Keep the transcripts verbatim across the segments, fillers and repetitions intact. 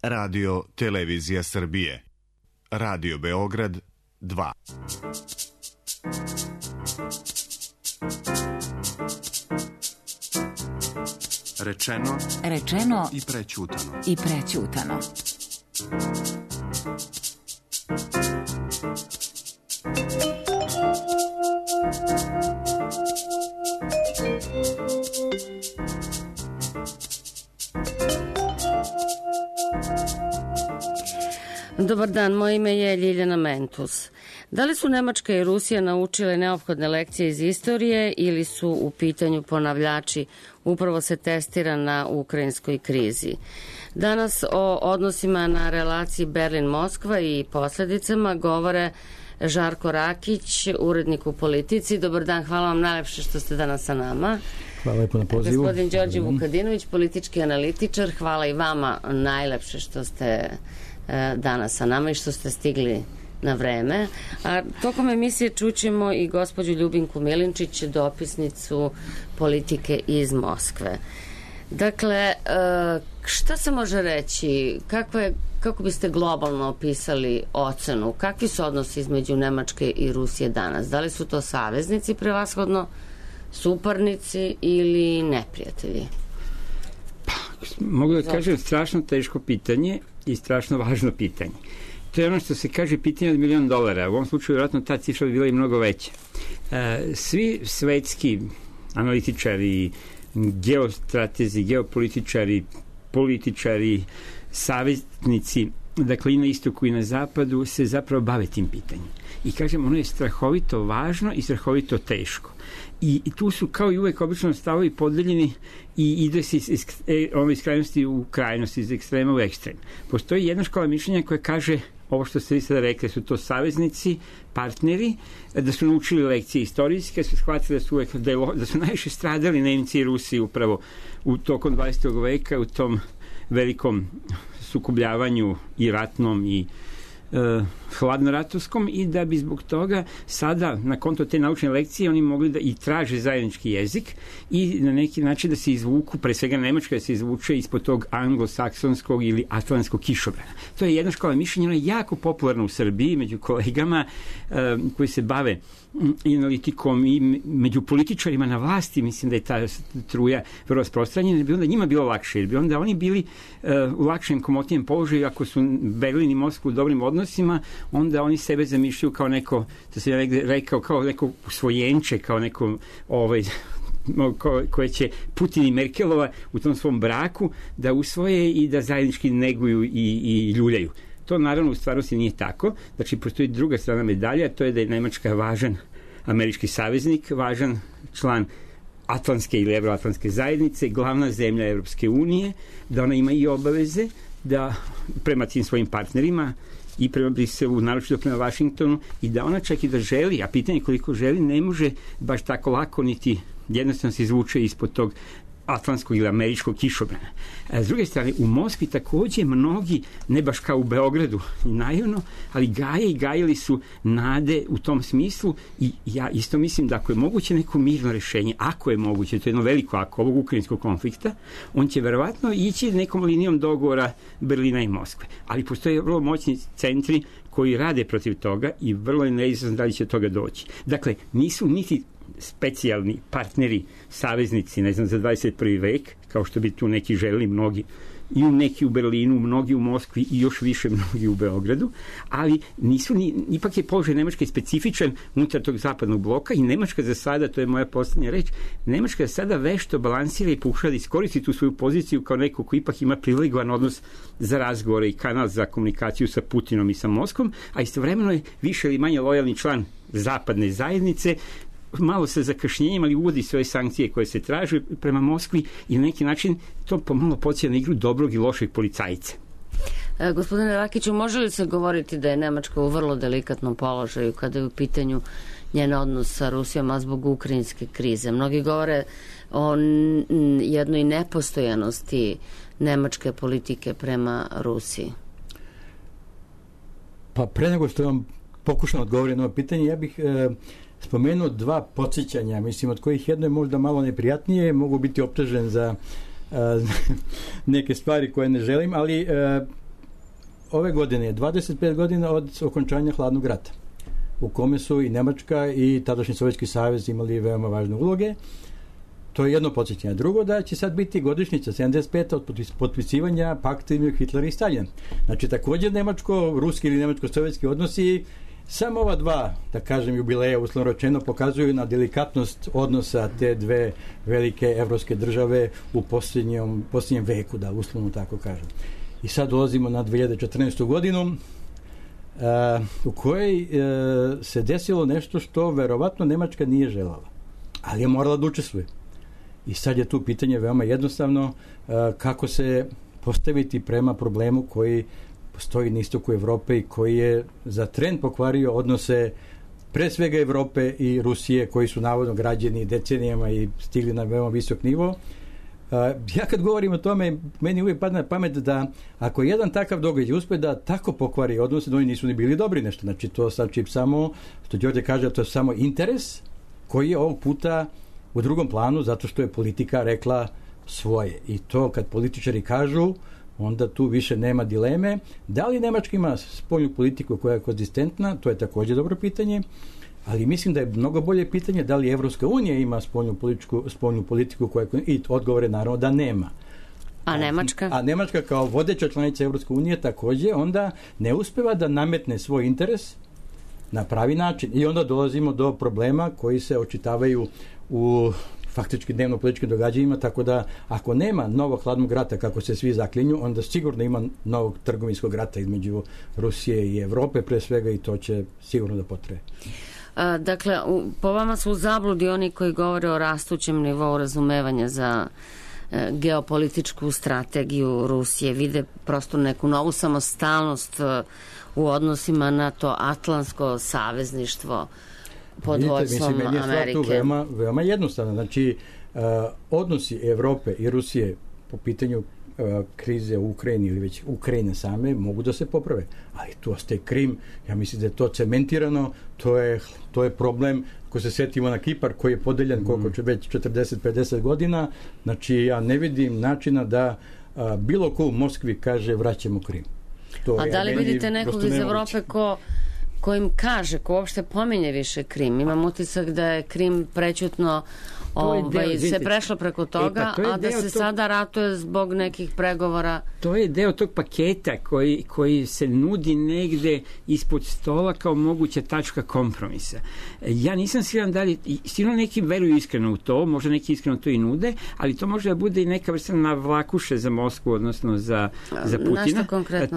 Radio Televizija Srbije. Radio Beograd dva. Rečeno, rečeno i prećutano. I prećutano. Dobar dan, moje ime je Ljiljana Mentus. Da li su Nemačka i Rusija naučile neophodne lekcije iz istorije ili su u pitanju ponavljači? Upravo se testira na ukrajinskoj krizi. Danas o odnosima na relaciji Berlin-Moskva i posledicama govore Žarko Rakić, urednik u Politici. Dobar dan, hvala vam najlepše što ste danas sa nama. Hvala lepo na pozivu. Gospodin Đorđe Vukadinović, politički analitičar, hvala i vama najlepše što ste danas sa nama i što ste stigli na vreme. A tokom emisije čućemo i gospođu Ljubinku Milinčić, dopisnicu Politike iz Moskve. Dakle, šta se može reći? Kako, je, kako biste globalno opisali ocenu? Kakvi su odnosi između Nemačke i Rusije danas? Da li su to saveznici prevashodno, suparnici ili neprijatelji? Pa, mogu da kažem, strašno teško pitanje i strašno važno pitanje. To je ono što se kaže pitanje od milion dolara. U ovom slučaju vjerojatno ta cifra bi bila i mnogo veća. Svi svetski analitičari, geostratezi, geopolitičari, političari, saveznici, dakle i na istoku i na zapadu, se zapravo bave tim pitanjem. I kažem, ono je strahovito važno i strahovito teško. I, i tu su, kao i uvek, obično stavovi podeljeni i ide se iz, iz, iz krajnosti u krajnost, iz ekstrema u ekstrem. Postoji jedna škola mišljenja koja kaže, ovo što ste vi sada rekli, su to saveznici, partneri, da su naučili lekcije istorijske, su shvatili da su, uvek, da, je, da su najviše stradali Nemci i Rusi upravo u tokom dvadesetog veka, u tom velikom sukobljavanju i ratnom i Uh, hladnoratovskom, i da bi zbog toga sada, na konto te naučne lekcije, oni mogli da i traže zajednički jezik i na neki način da se izvuku, pre svega Nemačka da se izvuče ispod tog anglosaksonskog ili atlantskog kišobrana. To je jedna škola mišljenja, ona je jako popularna u Srbiji među kolegama uh, koji se bave i analitikom i među političarima na vlasti. Mislim da je ta truja vrlo rasprostranjena, jer bi onda njima bilo lakše, jer bi onda oni bili uh, u lakšem, komotnijem položaju. Ako su Berlin i Moskva u dobrim odnosima, onda oni sebe zamišljaju kao neko, to se je rekao, kao neko usvojenče, kao neko ovaj, ko, koje će Putin i Merkelova u tom svom braku da usvoje i da zajednički neguju i, i ljuljaju. To naravno u stvarnosti nije tako. Znači, postoji druga strana medalja, to je da je Nemačka važan američki saveznik, važan član Atlantske ili Evroatlantske zajednice, glavna zemlja Evropske unije, da ona ima i obaveze da prema tim svojim partnerima i prema Briselu, naročito prema Vašingtonu, i da ona čak i da želi, a pitanje koliko želi, ne može baš tako lako niti jednostavno se izvuče ispod tog atlantskog ili američkog kišobrana. S druge strane, u Moskvi takođe mnogi, ne baš kao u Beogradu naivno, ali gaje i gajili su nade u tom smislu, i ja isto mislim da ako je moguće neko mirno rešenje, ako je moguće, to je jedno veliko ako ovog ukrajinskog konflikta, on će verovatno ići nekom linijom dogovora Berlina i Moskve. Ali postoje vrlo moćni centri koji rade protiv toga i vrlo je neizvesno da li će toga doći. Dakle, nisu niti specijalni partneri, saveznici, ne znam, za dvadeset prvi vek, kao što bi tu neki želeli, mnogi i u neki u Berlinu, mnogi u Moskvi i još više mnogi u Beogradu, ali nisu ni, ipak je položaj Nemačke specifičan unutar tog zapadnog bloka i Nemačka za sada, to je moja poslednja reč, Nemačka za sada vešto balansira i pokušava da iskoristi tu svoju poziciju kao neko ko ipak ima privilegovan odnos za razgovore i kanal za komunikaciju sa Putinom i sa Moskvom, a istovremeno je više ili manje lojalni član zapadne zajednice, malo sa zakašnjenjem, ali uvodi svoje sankcije koje se traže prema Moskvi i na neki način to pomalo podsjeća na igru dobrog i lošeg policajca. E, gospodine Rakiću, može li se govoriti da je Nemačka u vrlo delikatnom položaju kada je u pitanju njen odnos sa Rusijom, a zbog ukrajinske krize? Mnogi govore o jednoj nepostojanosti nemačke politike prema Rusiji. Pa pre nego što vam pokušam odgovoriti na ovo pitanje, ja bih e, spomenuo dva podsjećanja, mislim, od kojih jedno je možda malo neprijatnije, mogu biti optužen za e, neke stvari koje ne želim, ali e, ove godine je dvadeset pet godina od okončanja hladnog rata, u kome su i Nemačka i tadašnji Sovjetski savez imali veoma važne uloge. To je jedno podsjećanje. Drugo, da će sad biti godišnjica sedamdeset peta od potpisivanja pakta između Hitlera i Staljina. Znači, također nemačko-ruski ili nemačko-sovjetski odnosi, samo ova dva, da kažem, jubileja, uslovno rečeno, pokazuju na delikatnost odnosa te dve velike evropske države u posljednjem, posljednjem veku, da uslovno tako kažem. I sad dolazimo na dve hiljade četrnaestu godinu, uh, u kojoj uh, se desilo nešto što verovatno Nemačka nije želala, ali je morala da učestvuje. I sad je tu pitanje veoma jednostavno, uh, kako se postaviti prema problemu koji postoji na istoku Evrope i koji je za tren pokvario odnose pre svega Evrope i Rusije, koji su navodno građeni decenijama i stigli na veoma visok nivo. Uh, ja kad govorim o tome, meni uvijek padne na pamet da ako jedan takav događaj uspe da tako pokvari odnose, da oni nisu ni bili dobri nešto. Znači, to znači samo, što Đorđe kaže, to je samo interes koji je ovog puta u drugom planu, zato što je politika rekla svoje. I to kad političari kažu, onda tu više nema dileme. Da li Nemačka ima spoljnu politiku koja je konzistentna, to je također dobro pitanje, ali mislim da je mnogo bolje pitanje da li Evropska unija ima spoljnu politiku, spoljnu politiku koja je, i odgovore naravno da nema. A Nemačka? A Nemačka kao vodeća članica Evropske unije također onda ne uspeva da nametne svoj interes na pravi način. I onda dolazimo do problema koji se očitavaju u faktički dnevno-političkim događajima, tako da ako nema novog hladnog rata kako se svi zaklinju, onda sigurno ima novog trgovinskog rata između Rusije i Evrope pre svega, i to će sigurno da potraje. A, dakle, u, po vama su u zabludi oni koji govore o rastućem nivou razumevanja za e, geopolitičku strategiju Rusije, vide prosto neku novu samostalnost e, u odnosima na to atlantsko savezništvo pod vođstvom Amerike. Meni je stvar tu veoma, veoma jednostavna. Znači, uh, odnosi Evrope i Rusije po pitanju uh, krize u Ukrajini ili već Ukrajine same mogu da se poprave. Ali tu ostaje Krim. Ja mislim da je to cementirano. To je, to je problem. Ako se setimo na Kipar koji je podeljen koliko će već četrdeset pedeset godina, znači ja ne vidim načina da uh, bilo ko u Moskvi kaže vraćamo Krim. To A je, da li vidite nekog iz Evrope ko kojim kaže, ko uopšte pominje više Krim? Imam utisak da je Krim prećutno ovaj, se prešlo preko toga, e, pa a da se tog... sada ratuje zbog nekih pregovora. To je deo tog paketa koji, koji se nudi negde ispod stola kao moguća tačka kompromisa. Ja nisam siguran da li, sigurno neki veruju iskreno u to, možda neki iskreno to i nude, ali to može da bude i neka vrsta navlakuše za Moskvu, odnosno za, za Putina.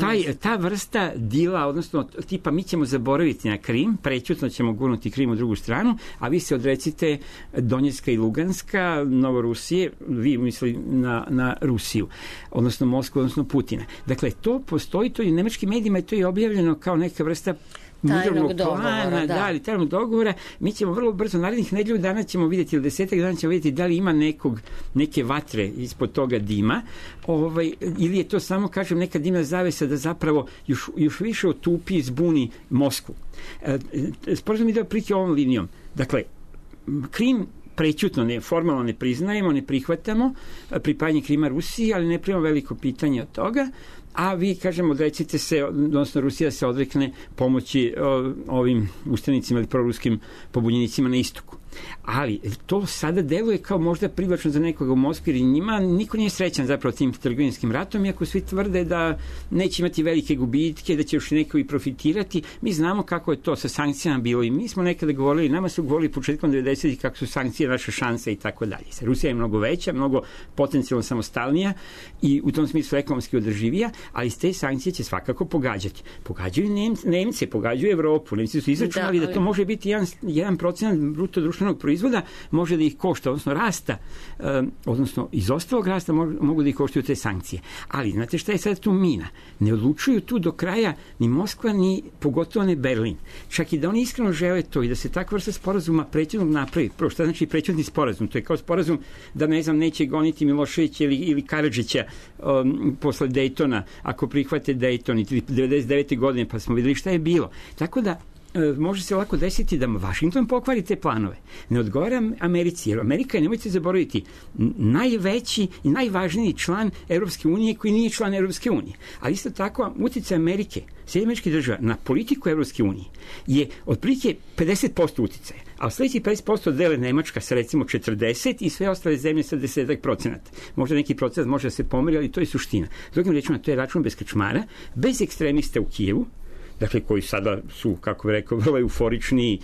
Taj, ta vrsta dila, odnosno tipa mi ćemo zaboraviti na Krim, prećutno ćemo gurnuti Krim u drugu stranu, a vi se odrecite Donjecka i Luganska, Novorusije, vi misli na, na Rusiju, odnosno Moskvu, odnosno Putina. Dakle, to postoji, to i u nemačkim medijima je to i objavljeno kao neka vrsta tajnog dogovora, plana, da. da, tajnog dogovora. Mi ćemo vrlo brzo, narednih nedelju dana ćemo vidjeti, ili desetak dana ćemo vidjeti da li ima nekog, neke vatre ispod toga dima, ovaj, ili je to samo, kažem, neka dimna zavesa da zapravo još, još više otupi i zbuni Moskvu. E, sporazum ide otprilike ovom linijom. Dakle, Krim prećutno, ne, formalno ne priznajemo, ne prihvatamo pripajanje Krima Rusiji, ali ne primamo veliko pitanje od toga, a vi, kažemo, odrecite se, odnosno Rusija se odrekne pomoći o, ovim ustanicima ili proruskim pobunjenicima na istoku. Ali to sada deluje kao možda privlačno za nekoga u Moskvi, jer njima niko nije srećan zapravo tim trgovinskim ratom, iako svi tvrde da neće imati velike gubitke, da će još neko i profitirati. Mi znamo kako je to sa sankcijama bilo i mi smo nekada govorili, nama su govorili početkom devedesetih kako su sankcije naša šansa i tako dalje. Rusija je mnogo veća, mnogo potencijalno samostalnija i u tom smislu ekonomski održivija, ali s te sankcije će svakako pogađati. Pogađaju Nemce, Nemce pogađaju Evropu. Nemci su izračunali da, ali... da to može biti jedan, jedan procenat bruto društvenog proizvoda, može da ih košta, odnosno rasta, um, odnosno iz ostalog rasta mogu, mogu da ih koštaju te sankcije. Ali, znate šta je sad tu mina? Ne odlučuju tu do kraja ni Moskva, ni pogotovo ne Berlin. Čak i da oni iskreno žele to i da se takva vrsta sporazuma prećutnog napravi. Prvo, šta znači prećutni sporazum? To je kao sporazum da, ne znam, neće goniti Miloševića ili, ili Karadžića um, posle Dejtona, ako prihvate Dejton i devedeset devete godine, pa smo videli šta je bilo. Tako da može se lako desiti da Vašington pokvari te planove. Ne odgovara Americi, jer Amerika je, nemojte zaboraviti, najveći i najvažniji član Evropske unije koji nije član Evropske unije. Ali isto tako, uticaj Amerike, Sjedinjenih Američkih Država na politiku Evropske unije je otprilike pedeset posto uticaja, a sledeći pedeset posto dele Nemačka sa recimo četrdeset i sve ostale zemlje sa deset procenata. Možda neki procenat može da se pomeri, ali to je suština. Drugim rečima, to je račun bez krčmara, bez ekstremista u Kijevu, dakle koji sada su, kako bih rekao, vrlo euforični,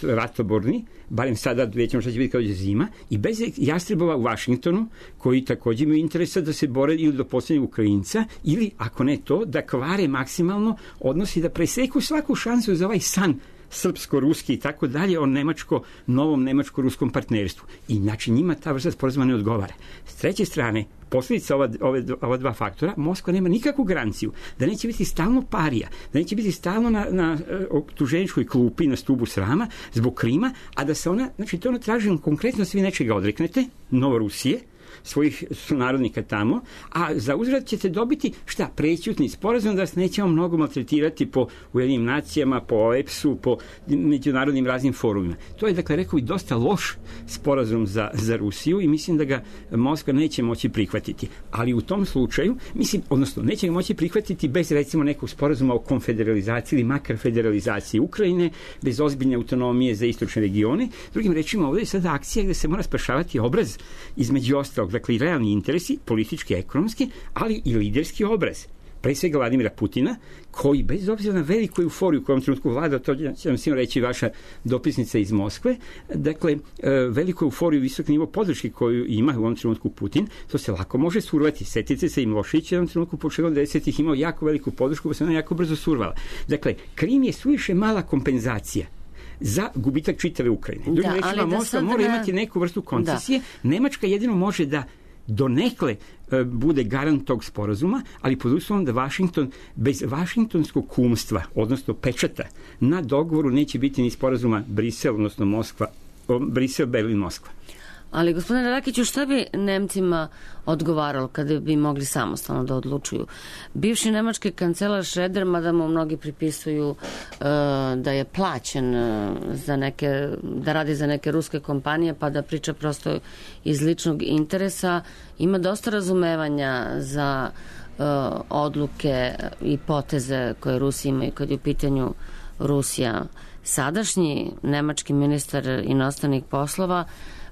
ratoborni, barem sada vidjet ćemo šta će biti kao je zima, i bez jastrebova u Vašingtonu, koji također imaju interesa da se bore ili do posljednjeg Ukrajinca, ili, ako ne to, da kvare maksimalno odnosi, da preseku svaku šansu za ovaj san srpsko-ruski i tako dalje o nemačko, novom nemačko-ruskom partnerstvu. I znači njima ta vrsta sporazuma ne odgovara. S treće strane, posljedica ova, ove, ova dva faktora, Moskva nema nikakvu garanciju da neće biti stalno parija, da neće biti stalno na, na optuženičkoj klupi, na stubu srama zbog Krima, a da se ona, znači to ona traži konkretno svi nečega odreknete, Novorusije, svojih sunarodnika tamo, a za uzvrat ćete dobiti šta? Prećutni sporazum da se nećemo mnogo maltretirati po Ujedinjenim nacijama, po O E P S-u, po međunarodnim raznim forumima. To je, dakle, rekao i dosta loš sporazum za, za Rusiju i mislim da ga Moskva neće moći prihvatiti. Ali u tom slučaju, mislim, odnosno, neće ga moći prihvatiti bez, recimo, nekog sporazuma o konfederalizaciji ili makar federalizaciji Ukrajine, bez ozbiljne autonomije za istočne regione. Drugim rečima, ovdje je sada akcija gde se mora spašavati obraz između ostalog, dakle i realni interesi, politički, ekonomski, ali i liderski obraz. Pre svega Vladimira Putina, koji bez obzira na veliku euforiju u kojem trenutku vlada, to će vam svima reći vaša dopisnica iz Moskve, dakle, veliku euforiju, visok nivo podrške koju ima u ovom trenutku Putin, to se lako može survati. Setite se i Milošević je u ovom trenutku početkom devedesetih imao jako veliku podršku, pa se ona jako brzo survala. Dakle, Krim je suviše mala kompenzacija za gubitak čitave Ukrajine. Drugim da, rečima, Moskva mora ne... imati neku vrstu koncesije. Da. Nemačka jedino može da donekle e, bude garant tog sporazuma, ali pod uslovom da Vašington bez vašingtonskog kumstva, odnosno pečata, na dogovoru neće biti ni sporazuma Brisel, odnosno Moskva, Brisel, Berlin, Moskva. Ali, gospodine Rakiću, šta bi Nemcima odgovaralo kada bi mogli samostalno da odlučuju? Bivši nemački kancelar Schröder, mada mu mnogi pripisuju uh, da je plaćen uh, za neke, da radi za neke ruske kompanije, pa da priča prosto iz ličnog interesa, ima dosta razumevanja za uh, odluke i poteze koje Rusi imaju kad je u pitanju Rusija. Sadašnji nemački ministar inostranih poslova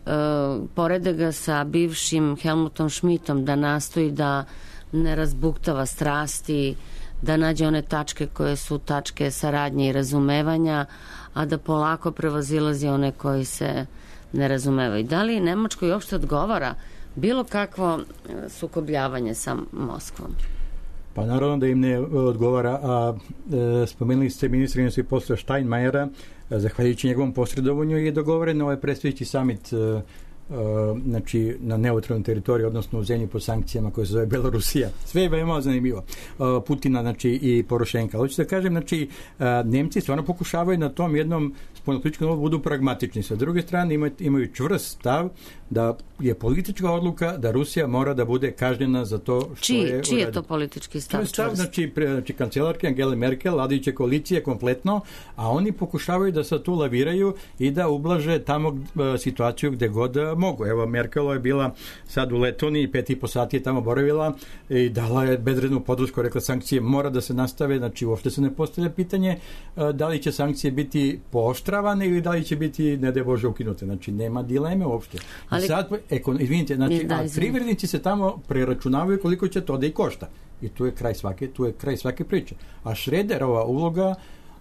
Uh, porede ga sa bivšim Helmutom Schmidtom da nastoji da ne razbuktava strasti, da nađe one tačke koje su tačke saradnje i razumevanja, a da polako prevazilazi one koji se ne razumevaju. Da li Nemačkoj uopšte odgovara bilo kakvo sukobljavanje sa Moskvom? Pa naravno da im ne odgovara, a e, spomenuli ste ministra inostranih poslova Steinmeiera, zahvaljujući njegovom posredovanju je dogovoren ovaj predstojeći summit e, znači na neutralnoj teritoriji, odnosno u zemlji pod sankcijama koje se zove Belorusija. Sve je veoma zanimljivo. Putina, znači, i Porošenka. Hoću da kažem, znači, Nemci stvarno pokušavaju na tom jednom spoljnopolitičkom nivou budu pragmatični. Sa druge strane imaju, imaju čvrst stav da je politička odluka da Rusija mora da bude kažnjena za to što čiji, je... Čiji je to politički stav? To je stav, znači, pre, znači kancelarke Angele Merkel, vladajuće koalicije kompletno, a oni pokušavaju da se tu laviraju i da ublaže tamo situaciju gde god mogu. Evo, Merkelo je bila sad u Letoniji, pet i po sati je tamo boravila i dala je bezrednu podršku, rekla sankcije mora da se nastave, znači uopšte se ne postavlja pitanje da li će sankcije biti pooštravane ili da li će biti, ne daj Bože, ukinute. Znači, nema dileme uopšte. Ali... I sad, ekon, izvinite, znači, a privrednici se tamo preračunavaju koliko će to da i košta. I tu je kraj svake, tu je kraj svake priče. A Schröderova uloga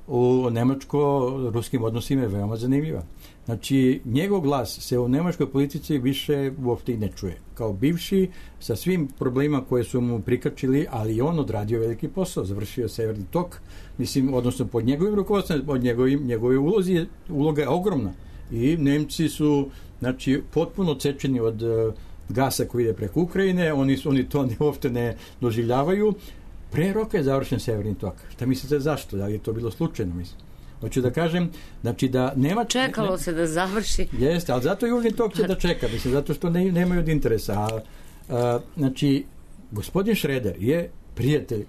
u nemačko-ruskim odnosima je veoma zanimljiva. Znači, njegov glas se u nemačkoj politici više uopšte i ne čuje. Kao bivši, sa svim problemima koje su mu prikačili, ali on odradio veliki posao, završio Severni tok, mislim, odnosno pod njegovim rukovodstvom, pod njegovim, njegove ulozi je, uloga je ogromna. I Nemci su, znači, potpuno odsečeni od uh, gasa koji ide preko Ukrajine, oni, oni to ne, uopšte ne doživljavaju. Pre roka je završen Severni tok. Šta mislite zašto? Da li je to bilo slučajno, mislim? Hoću da kažem, znači da nema... Čekalo ne, se da završi. Jeste, ali zato Južni tok će da čeka, mislim, zato što ne, nemaju od interesa. A, a, znači, gospodin Schröder je prijatelj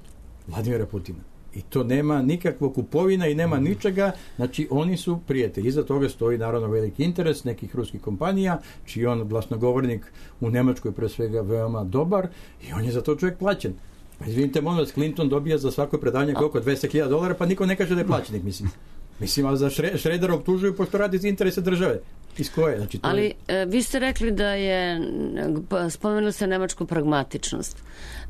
Vladimira Putina. I to nema nikakvog kupovina i nema ničega, znači oni su prijatelji. Iza toga stoji naravno veliki interes nekih ruskih kompanija, čiji on glasnogovornik u Nemačkoj pre svega veoma dobar i on je za to čovjek plaćen. Pa izvinite, molim vas, Clinton dobija za svako predavanje koliko dvesta hiljada dolara, pa niko ne kaže da je plaćenik, mislim. Mislim, ali za Šredera optužuju pošto radi za interese države. Iz koje? Znači, to ali je... e, vi ste rekli da je, spomenuli ste nemačku pragmatičnost.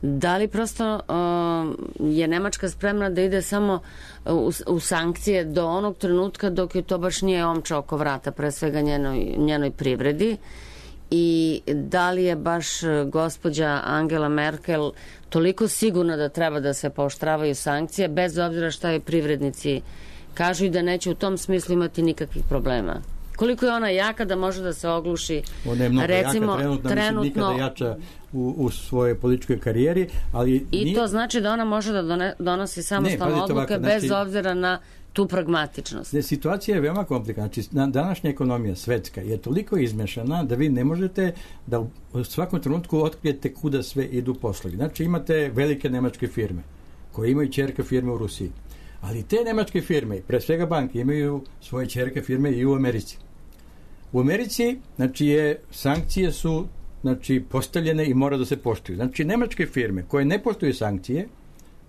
Da li prosto o, je Nemačka spremna da ide samo u, u sankcije do onog trenutka dok je to baš nije omča oko vrata, pre svega njenoj, njenoj privredi? I da li je baš gospođa Angela Merkel toliko sigurna da treba da se pooštravaju sankcije, bez obzira šta je privrednici kažu i da neće u tom smislu imati nikakvih problema? Koliko je ona jaka da može da se ogluši? Ona je mnogo recimo, jaka, trenutno, trenutno mislim, nikada jača u, u svojoj političkoj karijeri. Ali I nije... to znači da ona može da done, donosi samostalne odluke ovako, znači, bez obzira na tu pragmatičnost. Ne, situacija je veoma komplikovana. Znači, današnja ekonomija svetska je toliko izmešana da vi ne možete da u svakom trenutku otkrijete kuda sve idu poslovi. Znači, imate velike nemačke firme koje imaju ćerke firme u Rusiji. Ali te nemačke firme, pre svega banke, imaju svoje ćerke firme i u Americi. U Americi, znači, je, sankcije su znači, postavljene i mora da se poštuju. Znači, nemačke firme koje ne poštuju sankcije,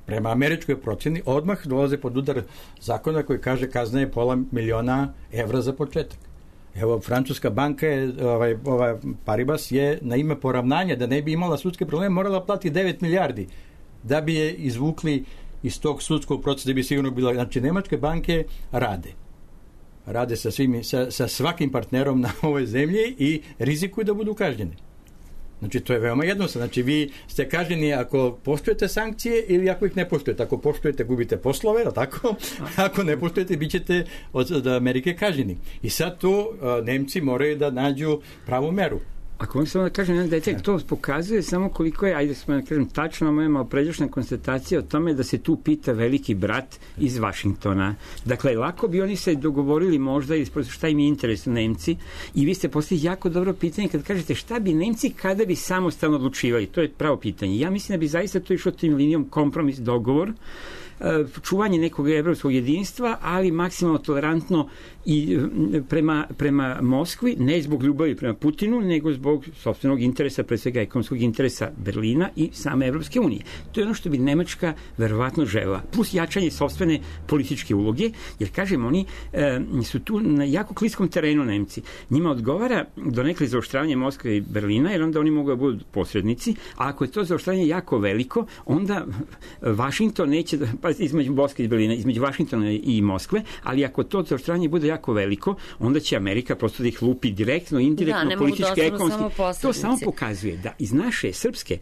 prema američkoj procjeni, odmah dolaze pod udar zakona koji kaže kazna je pola miliona evra za početak. Evo, francuska banka je, ovaj, ovaj Paribas je na ime poravnanja, da ne bi imala sudske probleme, morala plati devet milijardi da bi je izvukli iz tog sudskog procesa, da bi sigurno bila... Znači, nemačke banke rade. Rade sa, svim, sa, sa svakim partnerom na ovoj zemlji i rizikuju da budu kažnjeni. Znači, to je veoma jednostavno. Znači, vi ste kažnjeni ako poštujete sankcije ili ako ih ne poštujete. Ako poštujete, gubite poslove, ali tako? Ako ne poštujete, bit ćete od, od Amerike kažnjeni. I sad tu uh, Nemci moraju da nađu pravu meru. Ako vam samo da kažem jedan detalj, to pokazuje samo koliko je, ajde smo da kažem, tačno moja malo pređašnja konstatacija o tome da se tu pita veliki brat iz Vašingtona. Dakle, lako bi oni se dogovorili možda šta im je interes Nemci i vi ste postavili jako dobro pitanje kad kažete šta bi Nemci kada bi samostalno odlučivali. To je pravo pitanje. Ja mislim da bi zaista to išlo tim linijom kompromis, dogovor, čuvanje nekog evropskog jedinstva, ali maksimalno tolerantno i prema, prema Moskvi, ne zbog ljubavi prema Putinu, nego zbog sopstvenog interesa, pre svega ekonomskog interesa Berlina i same Evropske unije. To je ono što bi Nemačka verovatno želela. Plus jačanje sopstvene političke uloge, jer kažem, oni e, su tu na jako kliskom terenu Nemci. Njima odgovara donekle zaoštravanje Moskve i Berlina, jer onda oni mogu da budu posrednici, a ako je to zaoštravanje jako veliko, onda Vašington neće da, pa između Moskve i Berlina, između Vašingtona i Moskve, ali ako to zaoštravanje bude jako veliko, onda će Amerika prosto da ih lupi direktno, indirektno, da, politički, ekonomski. To samo pokazuje da iz naše srpske,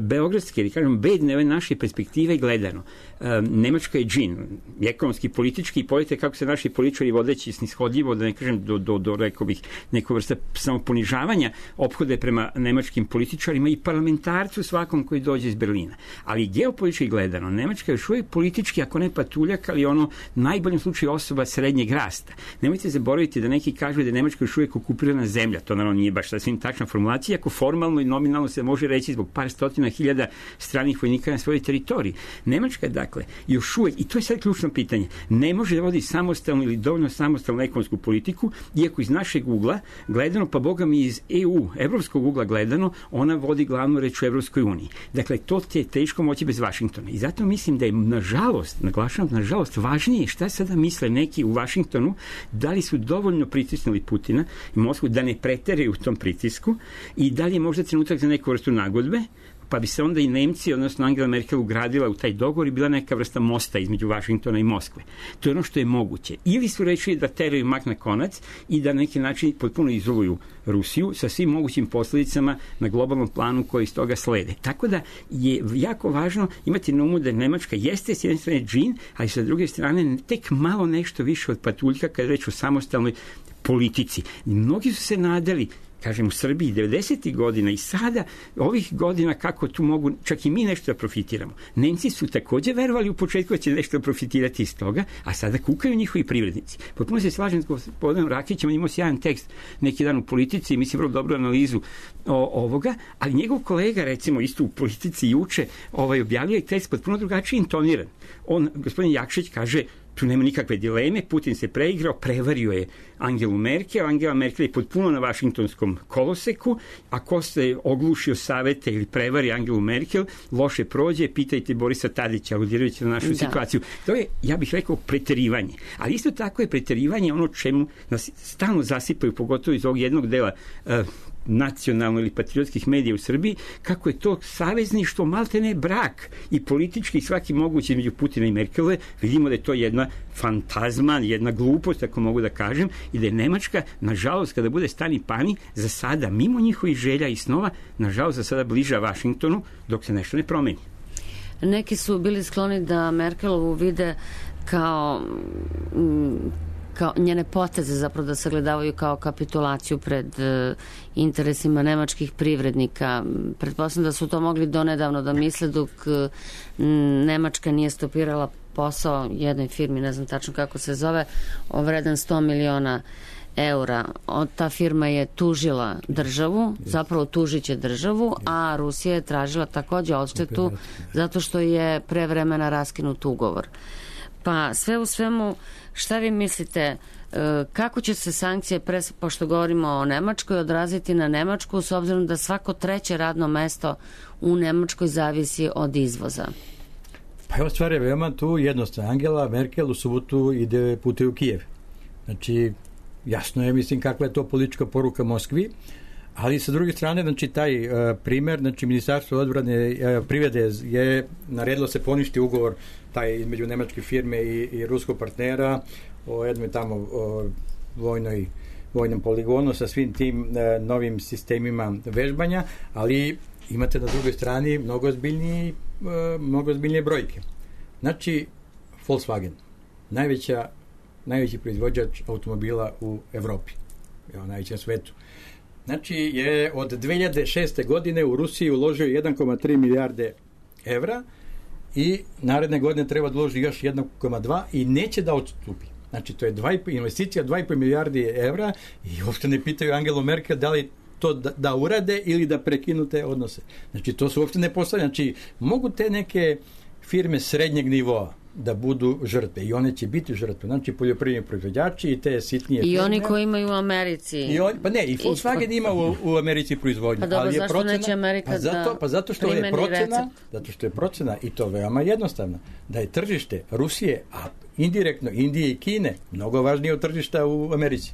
beogradske, ili kažem, bedne ove naše perspektive gledano, Nemačka je džin, ekonomski, politički, i pojete kako se naši političari vodeći snishodljivo, da ne kažem do, do, do rekao bih, neko vrsta samoponižavanja ophode prema nemačkim političarima i parlamentarcu svakom koji dođe iz Berlina. Ali geopolitički gledano, Nemačka je još uvijek politički, ako ne patuljak, ali ono najboljem slučaju osoba srednjeg rasta. Nemojte zaboraviti da neki kažu da je Nemačka još uvijek okupirana zemlja. To naravno nije baš sasvim tačna formulacija, ako formalno i nominalno se može reći zbog par stotina hiljada stranih vojnika na svojoj teritoriji. Nemačka, dakle, još uvijek, i to je sad ključno pitanje, ne može da vodi samostalnu ili dovoljno samostalnu ekonomsku politiku, iako iz našeg ugla gledano, pa boga mi iz E U, evropskog ugla gledano, ona vodi glavnu reč u Evropskoj uniji. Dakle, to ti je teško moći bez Vašingtona. I zato mislim da je, nažalost, naglašavam, nažalost, važnije šta sada misle neki u Vašingtonu, da li su dovoljno pritisnuli Putina i Moskvu da ne preteraju u tom pritisku i da li je možda trenutak za neku vrstu nagodbe, pa bi se onda i Nemci, odnosno Angela Merkel, ugradila u taj dogovor i bila neka vrsta mosta između Vašingtona i Moskve. To je ono što je moguće. Ili su rečili da teraju mak na konac i da na neki način potpuno izoluju Rusiju sa svim mogućim posljedicama na globalnom planu koji iz toga slede. Tako da je jako važno imati na umu da Nemačka jeste s jedne strane džin, ali sa druge strane tek malo nešto više od patuljka kada reč o samostalnoj politici. Mnogi su se nadali kažem, u Srbiji devedesetih godina i sada, ovih godina, kako tu mogu čak i mi nešto da profitiramo. Nemci su takođe verovali u početku da će nešto profitirati iz toga, a sada kukaju njihovi privrednici. Potpuno se slažem s gospodinom Rakićem, on imao sjajan tekst neki dan u Politici i mislim vrlo dobru analizu o, ovoga, ali njegov kolega, recimo, isto u Politici juče, ovaj, objavio je tekst potpuno drugačije intoniran. On, gospodin Jakšić, kaže, tu nema nikakve dileme, Putin se preigrao, prevario je Angelu Merkel, Angela Merkel je potpuno na vašingtonskom koloseku, a ko se oglušio savete ili prevari Angelu Merkel, loše prođe, pitajte Borisa Tadića, aludirajući na našu da. situaciju. To je, ja bih rekao, preterivanje. Ali isto tako je preterivanje ono čemu nas stalno zasipaju, pogotovo iz ovog jednog dela uh, nacionalno ili patriotskih medija u Srbiji, kako je to savezništvo maltene brak i politički i svaki mogući između Putina i Merkelove. Vidimo da je to jedna fantazma, jedna glupost, ako mogu da kažem, i da je Nemačka, nažalost, kada bude stani pani, za sada, mimo njihovih želja i snova, nažalost, za sada bliža Vašingtonu, dok se nešto ne promeni. Neki su bili skloni da Merkelovu vide kao kao njene poteze zapravo da sagledavaju kao kapitulaciju pred uh, interesima nemačkih privrednika. Pretpostavljam da su to mogli donedavno da misle dok uh, Nemačka nije stopirala posao jednoj firmi, ne znam tačno kako se zove, vredan sto miliona eura. Od ta firma je tužila državu, zapravo tužit će državu, a Rusija je tražila takođe odštetu zato što je pre vremena raskinut ugovor. Pa sve u svemu, šta vi mislite, kako će se sankcije, pre, pošto govorimo o Nemačkoj, odraziti na Nemačku, s obzirom da svako treće radno mesto u Nemačkoj zavisi od izvoza? Pa evo, stvar je veoma tu jednostavna. Angela Merkel u subotu ide putuje u Kijev. Znači, jasno je, mislim, kakva je to politička poruka Moskvi, ali sa druge strane, znači, taj uh, primer, znači, Ministarstvo odbrane uh, privrede je naredilo se poništi ugovor taj između nemačke firme i, i ruskog partnera o jednoj tamo o vojnoj, vojnom poligonu sa svim tim uh, novim sistemima vežbanja, ali imate na drugoj strani mnogo ozbiljnije, uh, mnogo ozbiljnije brojke. Znači, Volkswagen, najveća, najveći proizvođač automobila u Evropi, evo, najvećem svetu. Znači, je od dve hiljade šeste. godine u Rusiji uložio jedan zarez tri milijarde evra i naredne godine treba da uloži još jedan zarez dva i neće da odstupi. Znači, to je dva, investicija dva i po milijardi evra i uopšte ne pitaju Angelu Merkel da li to da, da urade ili da prekinu te odnose. Znači, to su uopšte ne postavljaju. Znači, mogu te neke firme srednjeg nivoa da budu žrtve i one će biti žrtve. Znači, poljoprivredni proizvođači i te sitnije I firme. oni koji imaju u Americi. I on, pa ne, i Volkswagen ima u, u Americi proizvodnju. Pa dobro, ali je zašto procena, neće Amerika pa zato, da pa zato što je procena, recept? zato što je procena i to veoma jednostavno, da je tržište Rusije, a indirektno Indije i Kine, mnogo važnije od tržišta u Americi.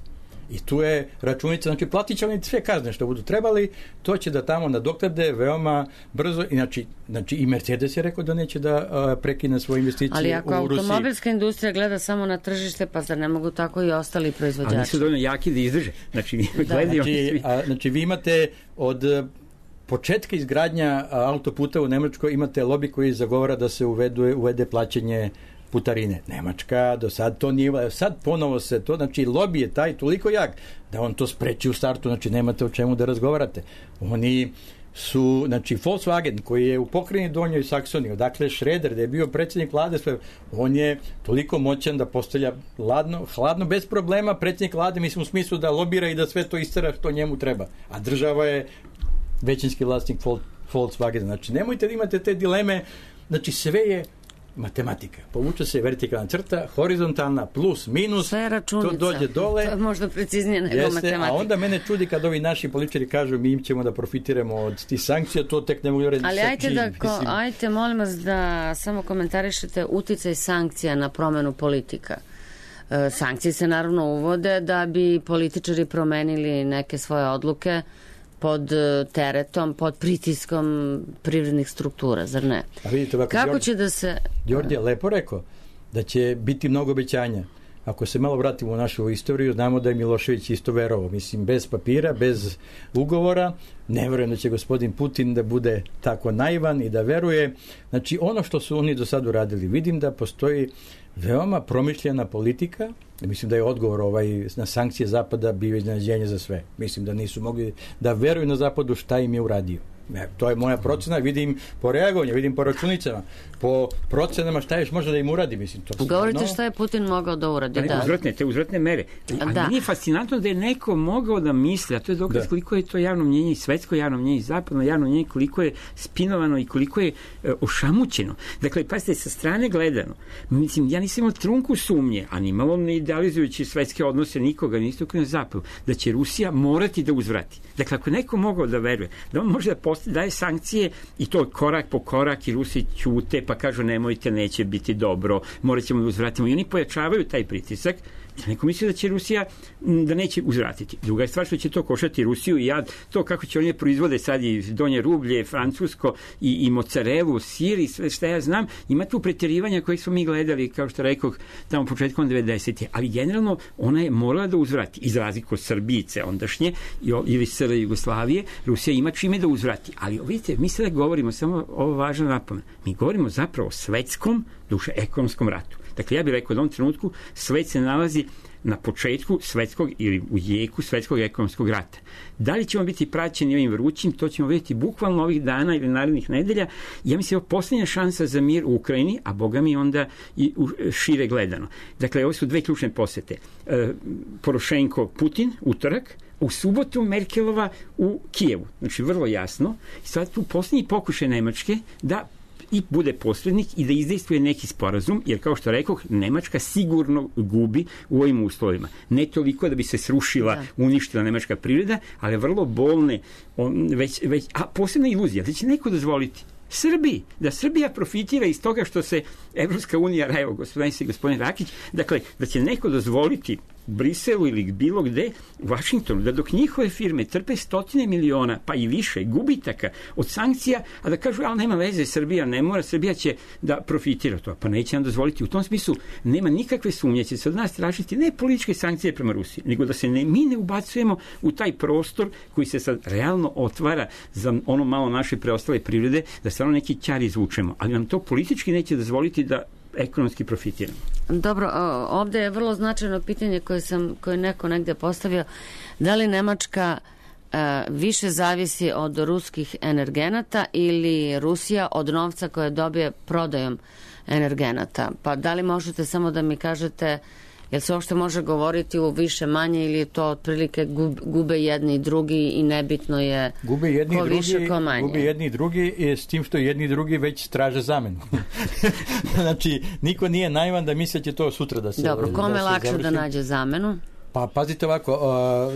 I tu je računica, znači platit će oni sve kazne što budu trebali, to će da tamo nadoknade veoma brzo, znači, znači i Mercedes je rekao da neće da a, prekine svoje investicije u Rusiji. Ali ako automobilska industrija gleda samo na tržište, pa zar ne mogu tako i ostali proizvođači? Ali nisu dovoljno jaki da izdrže. Znači, da. gledaju znači, svi. a, znači vi imate od početka izgradnja autoputa u Nemačkoj imate lobby koji zagovara da se uvede, uvede plaćanje putarine. Nemačka do sad to nije, sad ponovo se to, znači lobby je taj toliko jak da on to spreči u startu, znači nemate o čemu da razgovarate. Oni su, znači Volkswagen koji je u pokrajini Donjoj Saksoniji, odakle Schroeder, da je bio predsjednik vlade, sve, on je toliko moćan da postavlja hladno, hladno bez problema predsjednik vlade, mislim u smislu da lobira i da sve to istera što njemu treba. A država je većinski vlasnik Volkswagen. Znači nemojte da imate te dileme, znači sve je matematika. Povuče se vertikalna crta, horizontalna, plus, minus, sve je računica. To dođe dole. To je možda preciznije nego jeste, matematika. A onda mene čudi kad ovi naši političari kažu mi ćemo da profitiramo od tih sankcija, to tek ne mogu reći. Ali ajte, da, ko, ajte molim vas da samo komentarišete uticaj sankcija na promenu politika. E, sankcije se naravno uvode da bi političari promenili neke svoje odluke pod teretom, pod pritiskom privrednih struktura, zar ne? A vidite, ovako, kako Đorđe, će da se... Đorđe je lepo rekao da će biti mnogo obećanja. ako se malo vratimo u našu istoriju, znamo da je Milošević isto verovao. Mislim, bez papira, bez ugovora, ne verujem da će gospodin Putin da bude tako naivan i da veruje. Znači, ono što su oni do sad uradili, vidim da postoji veoma promišljena politika. Mislim da je odgovor ovaj, na sankcije Zapada bio iznenađenje za sve. Mislim da nisu mogli da veruju na Zapadu šta im je uradio. Ne, to je moja procena, vidim po reagovanju, vidim po računicama, po procenama šta još može da im uradi, mislim. To Govorite stvarno... šta je Putin mogao da uradi, da. Uzvratne, te uzvratne mere. A da. Nije fascinantno da je neko mogao da misli, a to je dokaz da. koliko je to javno mnjenje i svetsko javno mnjenje i zapadno javno mnjenje, koliko je spinovano i koliko je e, ošamućeno. Dakle, pazite, sa strane gledano, mislim, ja nisam imao trunku sumnje, a ni malo ne idealizujući svetske odnose nikoga, ni istoku na zapadu, da će Rusija morati da uzvrati. Dakle, ako neko mogao da veruje, da on može da postavi, daje sankcije i to korak po korak i Rusi ćute pa kažu nemojte, neće biti dobro, morat ćemo da uzvratimo i oni pojačavaju taj pritisak. Neko misli da će Rusija da neće uzvratiti. Druga je stvar što će to koštati Rusiju i ja to kako će oni proizvode sad i donje rublje, francusko i, i mozzarelu, sir i sve što ja znam, ima tu pretjerivanja koje smo mi gledali, kao što rekoh, tamo početkom devedesetih. Ali generalno ona je morala da uzvrati. Iz razliku od Srbijice ondašnje ili S R Jugoslavije, Rusija ima čime da uzvrati. Ali vidite, mi sada govorimo, samo ovo važno napomena, mi govorimo zapravo o svetskom, duše ekonomskom ratu. Dakle, ja bih rekao da u ovom trenutku svet se nalazi na početku svetskog ili u jeku svetskog ekonomskog rata. Da li ćemo biti praćeni ovim vrućim, to ćemo vidjeti bukvalno ovih dana ili narednih nedelja. Ja mislim da je posljednja šansa za mir u Ukrajini, a boga mi onda i šire gledano. Dakle, ovo su dve ključne posete. E, Porošenko, Putin, utorak, u subotu Merkelova u Kijevu. Znači, vrlo jasno. Sad tu posljednji pokušaj Nemačke da i bude posrednik i da izdejstvuje neki sporazum, jer kao što rekoh, Nemačka sigurno gubi u ovim uslovima. Ne toliko da bi se srušila, da. uništila nemačka privreda, ali vrlo bolne, on, već, već, a posebna iluzija, da će neko dozvoliti Srbiji, da Srbija profitira iz toga što se Evropska unija, evo gospodin i gospodin Rakić, dakle, da će neko dozvoliti Briselu ili bilo gde, u Vašingtonu, da dok njihove firme trpe stotine miliona, pa i više, gubitaka od sankcija, a da kažu, ali nema veze, Srbija ne mora, Srbija će da profitira to, pa neće nam dozvoliti. U tom smislu nema nikakve sumnje, će se od nas tražiti ne političke sankcije prema Rusiji, nego da se ne, mi ne ubacujemo u taj prostor koji se sad realno otvara za ono malo naše preostale privrede, da stvarno neki ćar izvučemo, ali nam to politički neće dozvoliti da ekonomski profitiramo. Dobro, ovdje je vrlo značajno pitanje koje sam, koje neko negde postavio. Da li Nemačka e, više zavisi od ruskih energenata ili Rusija od novca koje dobije prodajom energenata? Pa da li možete samo da mi kažete, jel se uopšte može govoriti u više manje ili je to otprilike gub, gube jedni i drugi i nebitno je gube jedni ko drugi, više, ko manje? Gube jedni i drugi s tim što jedni i drugi već traže zamenu. Znači, niko nije naivan da misle će to sutra da se Dobro, kome da se lakše završi. Da nađe zamenu? Pa pazite ovako,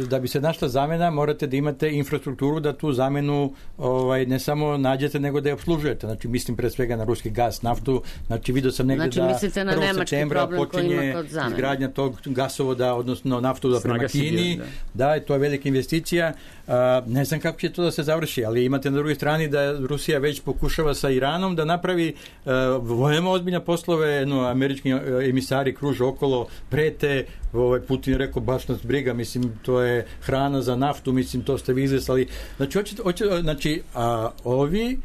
da bi se našla zamena morate da imate infrastrukturu da tu zamenu ovaj, ne samo nađete nego da je obslužujete. Znači mislim pre svega na ruski gas, naftu. Znači vidio sam negde znači, da prvog septembra počinje izgradnja tog gasovoda, odnosno naftovoda prema Kini. Da. da, to je velika investicija. Uh, ne znam kako će to da se završi, ali imate na drugoj strani da Rusija već pokušava sa Iranom da napravi uh, veoma ozbiljne poslove, no, američki emisari kruže okolo, prete, ovaj Putin rekao baš nas briga, mislim to je hrana za naftu, mislim to ste vi izlesali. Znači, hoće, hoće, znači a ovi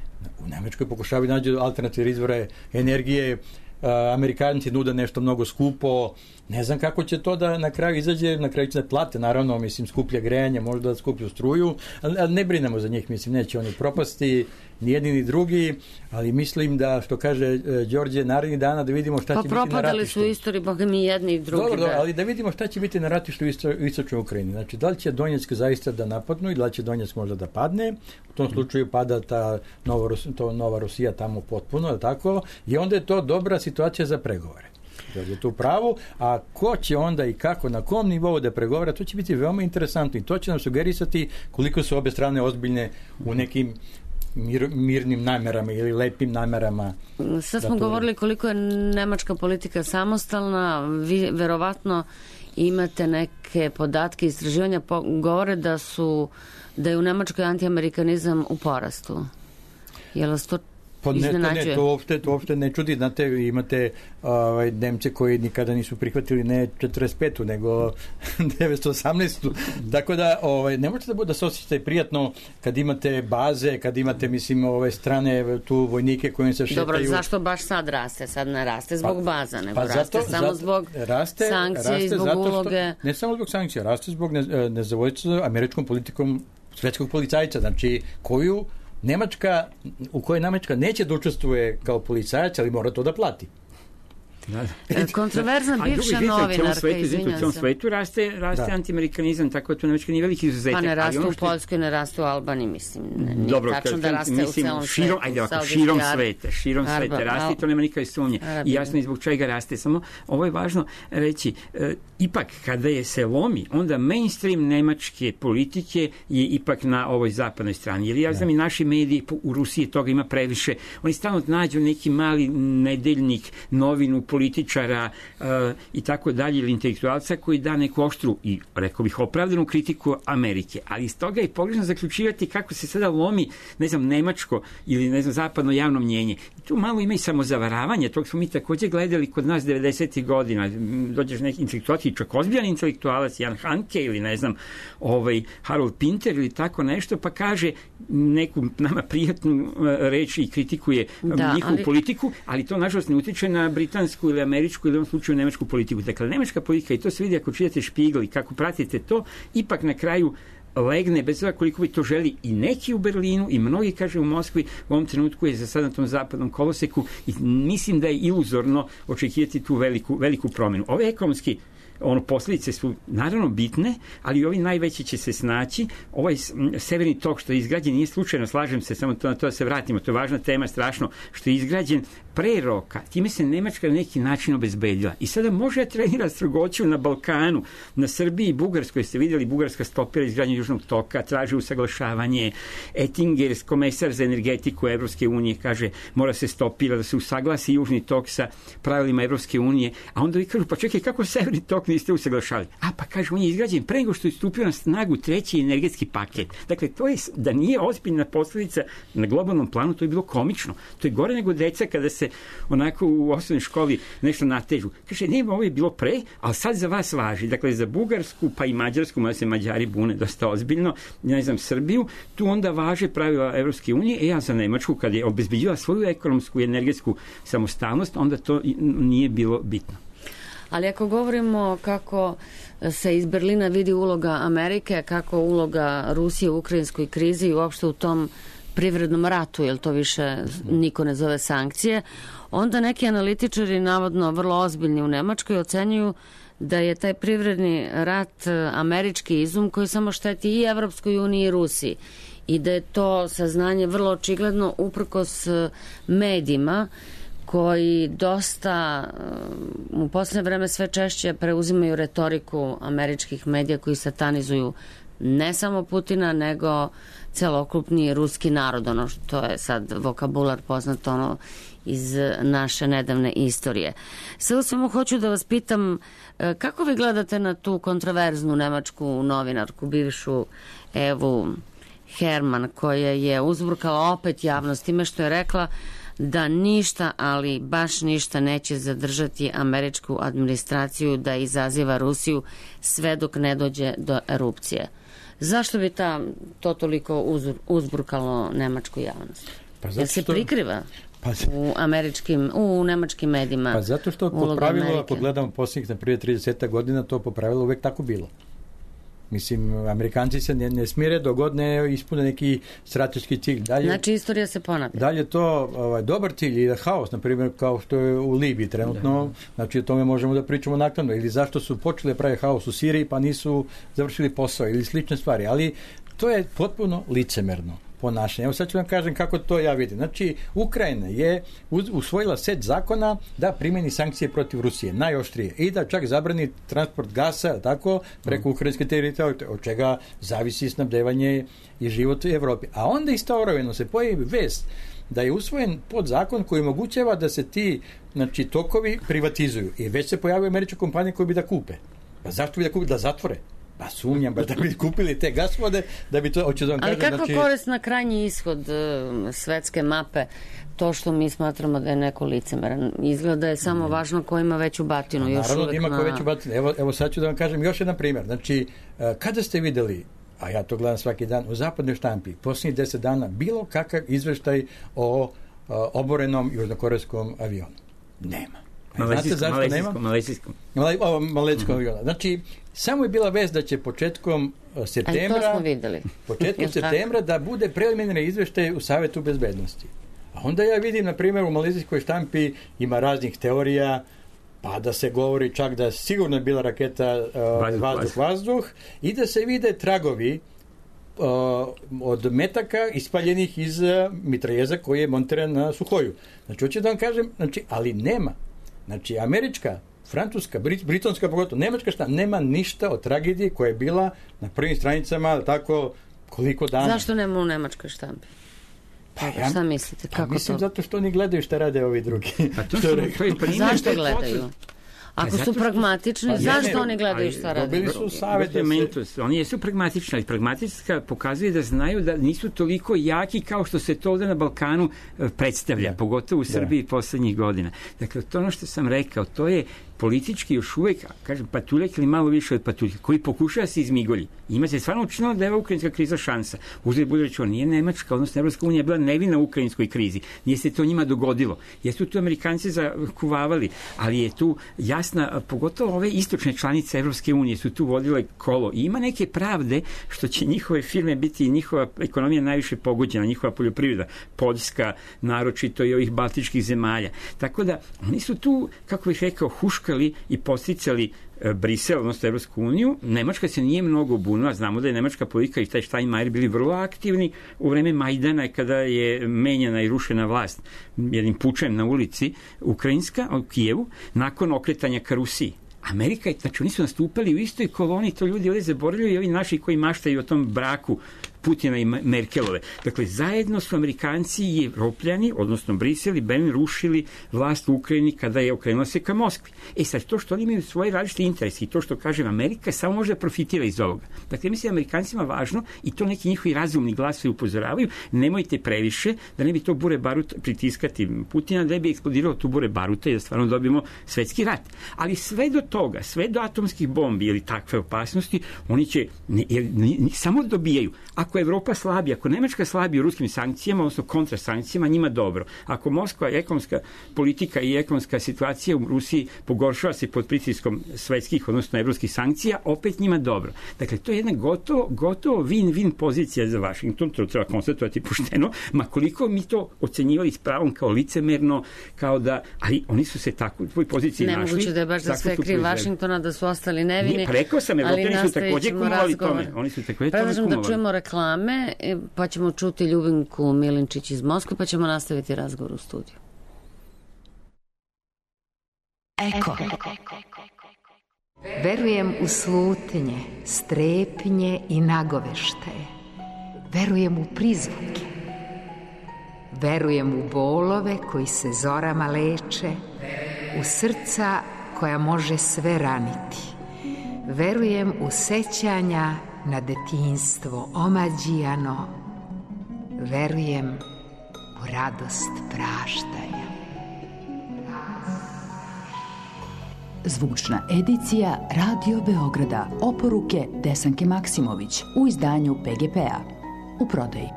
u Nemačkoj pokušavaju nađu alternativne izvore energije, a, Amerikanci nude nešto mnogo skupo, ne znam kako će to da na kraju izađe, na kraju će da plate, naravno, mislim, skuplja grejanje, možda skuplju struju, ali, ali ne brinemo za njih, mislim, neće oni propasti, ni jedni ni drugi, ali mislim da, što kaže e, Đorđe, narednih dana da vidimo šta pa će biti na ratištu. Pa propadali su istoriji, boga mi jedni i drugi. Dobro, da. dobro, ali da vidimo šta će biti na ratištu u isto, istočnoj Ukrajini. Znači, da li će Donjeck zaista da napadnu i da li će Donjeck možda da padne, u tom slučaju pada ta Nova, to Nova Rusija tamo potpuno, tako, i onda je to dobra situacija za pregovore. Je tu pravu, a ko će onda i kako, na kom nivou da pregovara, to će biti veoma interesantno i to će nam sugerisati koliko su obe strane ozbiljne u nekim mir, mirnim namerama ili lepim namerama. Sad smo govorili koliko je nemačka politika samostalna, vi verovatno imate neke podatke, istraživanja po, govore da su da je u Nemačkoj antiamerikanizam u porastu. Je li to Pa ne, to, ne, to, uopšte, to uopšte ne čudi. Znate, imate ovaj, Nemce koji nikada nisu prihvatili ne četrdeset petu nego devetsto osamnaestu Tako da ovaj, ne možete da, da se osjećate prijatno kad imate baze, kad imate, mislim, ove strane tu vojnike koji se šetaju. Dobro, zašto baš sad raste? Sad ne raste zbog pa, baza, nego pa raste zato, samo zato, zbog raste, sankcije raste i zbog zato što, uloge. Ne samo zbog sankcija, raste zbog ne, nezadovoljstva američkom politikom svetskog policajca, znači koju Nemačka, u kojoj Nemačka neće da učestvuje kao policajac, ali mora to da plati. Da. Kontroverzna bivša novinarka, izvinjam se. U tom svetu raste, raste antiamerikanizam, tako da to Nemačka nije veliki izuzetak. Pa ne raste ono u Poljskoj, ne raste u Albaniji, mislim. Ne, nije dobro, tačno da raste mislim, u celom širom, svetu. Ajde ovako, širom sveta, širom Arba, sveta raste i to nema nikakve sumnje. I jasno je zbog čega raste. Samo ovo je važno reći, e, ipak kada je se lomi, onda mainstream nemačke politike je ipak na ovoj zapadnoj strani. Jer ja znam i naši mediji u Rusiji toga ima previše. Oni stalno nađu neki mali nedeljnik, novinu, političara uh, i tako dalje, ili intelektualca koji da neku oštru i, rekao bih, opravdanu kritiku Amerike. Ali iz toga je pogrešno zaključivati kako se sada lomi, ne znam, nemačko ili, ne znam, zapadno javno mnjenje. I tu malo ima i samozavaravanje, tog smo mi također gledali kod nas devedesetih godina. Dođeš neki intelektualac, čak ozbiljan intelektualac, Jan Hanke ili, ne znam, ovaj, Harold Pinter ili tako nešto, pa kaže neku nama prijatnu reč i kritikuje da, njihovu ali... politiku, ali to nažalost ne utiče na britansku ili američku ili u ovom slučaju nemačku politiku. Dakle, nemačka politika, i to se vidi ako čitate Špigl i kako pratite to, ipak na kraju legne, bez toga koliko bi to želi i neki u Berlinu i mnogi, kaže, u Moskvi, u ovom trenutku je za sad na tom zapadnom koloseku i mislim da je iluzorno očekivati tu veliku, veliku promjenu. Ove ekonomski ono, posljedice su naravno bitne, ali ovi najveći će se snaći. Ovaj severni tok što je izgrađen nije slučajno, slažem se, samo to, na to da se vratimo, to je važna tema, strašno, što je izgrađen pre roka, time se Nemačka na neki način obezbedila. I sada može trenira strogoću na Balkanu, na Srbiji i Bugarskoj, ste vidjeli, Bugarska stopira izgradnju južnog toka, traži usaglašavanje, Ettinger, komesar za energetiku Evropske unije, kaže, mora se stopira, da se usaglasi južni tok sa pravilima Evropske unije, a onda vi kažu, pa čekaj, kako severni tok niste usaglašali? A pa kaže, on je izgrađen pre nego što je stupio na snagu treći energetski paket. Dakle, to je, da nije ozbiljna posljedica na globalnom planu, to je bilo komično. To je gore nego deca kada se onako u osnovnoj školi nešto natežu. Kaže, nema, ovo je bilo pre, ali sad za vas važi. Dakle, za Bugarsku, pa i Mađarsku, mada se Mađari bune dosta ozbiljno, ne znam, Srbiju, tu onda važe pravila Evropske unije, e ja za Nemačku, kad je obezbeđila svoju ekonomsku i energetsku samostalnost, onda to nije bilo bitno. Ali ako govorimo kako se iz Berlina vidi uloga Amerike, kako uloga Rusije u ukrajinskoj krizi i uopšte u tom privrednom ratu, jer to više niko ne zove sankcije, onda neki analitičari, navodno vrlo ozbiljni u Nemačkoj, ocenjuju da je taj privredni rat američki izum koji samo šteti i Evropskoj uniji i Rusiji. I da je to saznanje vrlo očigledno uprkos medijima koji dosta u posljednje vreme sve češće preuzimaju retoriku američkih medija koji satanizuju ne samo Putina, nego celokupni ruski narod, ono što je sad vokabular poznat ono iz naše nedavne istorije. Sve u svemu hoću da vas pitam kako vi gledate na tu kontroverznu nemačku novinarku, bivšu Evu Herman, koja je uzburkala opet javnost time što je rekla da ništa, ali baš ništa neće zadržati američku administraciju da izaziva Rusiju sve dok ne dođe do erupcije. Zašto bi ta, to toliko uz, uzburkalo nemačku javnost? Pa zato što... Jer se prikriva pa, u američkim, u nemačkim medijima. Pa zato što po pravilu, ako gledamo posljednjih na prije trideset godina, to po pravilu uvek tako bilo. Mislim, Amerikanci se ne, ne smire dok god ne ispune neki strateški cilj. Dalje, znači, istorija se ponavlja. Dalje to ovaj, dobar cilj i haos, na primjer, kao što je u Libiji trenutno, da. Znači o tome možemo da pričamo naknadno. Ili zašto su počeli da prave haos u Siriji pa nisu završili posao ili slične stvari. Ali to je potpuno licemerno ponašanje. Evo sad ću vam kažem kako to ja vidim. Znači, Ukrajina je usvojila set zakona da primjeni sankcije protiv Rusije, najoštrije, i da čak zabrani transport gasa, tako, preko ukrajinske teritorije, od čega zavisi snabdevanje i život u Evropi. A onda istovremeno se pojavi vest da je usvojen podzakon koji omogućava da se ti, znači, tokovi privatizuju. I već se pojavaju američke kompanije koje bi da kupe. Pa zašto bi da kupe? Da zatvore. Pa sumnjam baš da bi kupili te gasvode, da bi to, hoću da vam ali kažem... kako znači... korist na krajnji ishod uh, svetske mape, to što mi smatramo da je neko licemeran? Izgleda da je samo važno ko ima veću batinu. Još naravno uvek ima na... ko veću batinu. Evo, evo sad ću da vam kažem još jedan primjer. Znači, kada ste videli, a ja to gledam svaki dan, u zapadnoj štampi, posljednjih deset dana, bilo kakav izveštaj o a, oborenom južnokorejskom avionu? Nema. Znate zašto nema? Malezijskom. Malezijskom avionu. Znači, samo je bila vest da će početkom septembra, to smo videli. početkom septembra da bude preliminarni izveštaj u Savetu bezbednosti. A onda ja vidim, na primjer, u malezijskoj štampi ima raznih teorija, pa da se govori čak da sigurno je bila raketa uh, vazduh-vazduh i da se vide tragovi uh, od metaka ispaljenih iz uh, mitraljeza koji je montiran na Suhoju. Znači, hoću da vam kažem, znači, ali nema. Znači, američka, francuska, brit, britonska, pogotovo, nemačka šta, nema ništa o tragediji koja je bila na prvim stranicama, tako, koliko dana. Zašto nema u nemačkoj štampi? Pa, ja, šta mislite? Kako pa mislim to? Zato što oni gledaju šta rade ovi drugi. A to što, to je zašto gledaju? Ako su pragmatični, pa, zašto ne, oni gledaju šta rade? Dobili su savjet da se... Oni jesu pragmatični, ali pragmatička pokazuje da znaju da nisu toliko jaki kao što se to ovde na Balkanu predstavlja, da. Pogotovo u Srbiji da. Poslednjih godina. Dakle, to ono što sam rekao, to je politički još uvek, kažem, patuljak ili malo više od patuljka, koji pokušava da se izmigolji. Ima se stvarno učinilo da je ova ukrajinska kriza šansa. Uzred bude rečeno, nije Nemačka, odnosno Evropska unija bila nevina u ukrajinskoj krizi. Nije se to njima dogodilo. Jesu tu Amerikanci zakuvavali, ali je tu jasna, pogotovo ove istočne članice Evropske unije su tu vodile kolo. I ima neke pravde što će njihove firme biti i njihova ekonomija najviše pogođena, njihova poljoprivreda, Poljska, naročito i ovih baltičkih zemalja. Tako da, oni su tu, kako bih rekao, huška i posticali Brisel, odnosno Evropsku uniju. Nemačka se nije mnogo bunila, znamo da je nemačka politika i taj Steinmeier bili vrlo aktivni u vreme Majdana kada je menjana i rušena vlast jednim pučem na ulici ukrajinska, u Kijevu, nakon okretanja ka Rusiji. Amerika, znači oni su nastupali u istoj koloni, to ljudi ovdje zaboravljaju i ovi naši koji maštaju o tom braku Putina i Merkelove. Dakle, zajedno su Amerikanci i Evropljani, odnosno Brisel i Berlin, rušili vlast u Ukrajini kada je okrenula se ka Moskvi. E sad, to što oni imaju svoje različite interese i to što, kažem, Amerika samo može da profitira iz ovoga. Dakle, mislim da Amerikancima važno i to neki njihovi razumni glasovi upozoravaju, nemojte previše, da ne bi to bure barut pritiskati Putina, da ne bi eksplodirao tu bure baruta i da stvarno dobijemo svetski rat. Ali sve do toga, sve do atomskih bombi ili takve opasnosti, oni će ne, jer, ne, ne, samo dobijaju. Ako Evropa slabi, ako Nemačka slabi u ruskim sankcijama, odnosno kontrasankcijama, njima dobro. Ako Moskva, ekonomska politika i ekonomska situacija u Rusiji pogoršava se pod pritiskom svetskih, odnosno evropskih sankcija, opet njima dobro. Dakle, to je jedna gotovo, gotovo win-win pozicija za Washington, to treba konstatovati pošteno, ma koliko mi to ocenjivali s pravom kao licemerno, kao da, ali oni su se tako u tvoj poziciji našli. Nemoguće da je baš za sve kriv Washingtona, da su ostali nevini. Nije, rekao sam, Evropljani su takođe kumovali tome. Oni su takođe tome kumovali. Da čujemo reklame, pa ćemo čuti Ljubinku Milinčić iz Moskve, pa ćemo nastaviti razgovor u studiju. Eko. Verujem u slutnje, strepnje i nagoveštaje. Verujem u prizvuke. Verujem u bolove koji se zorama leče, u srca koja može sve raniti. Verujem u sećanja na detinjstvo omađijano. Verujem u radost praštanja. Zvučna edicija Radio Beograda. Oporuke Desanke Maksimović u izdanju P G P-a. U prodaji.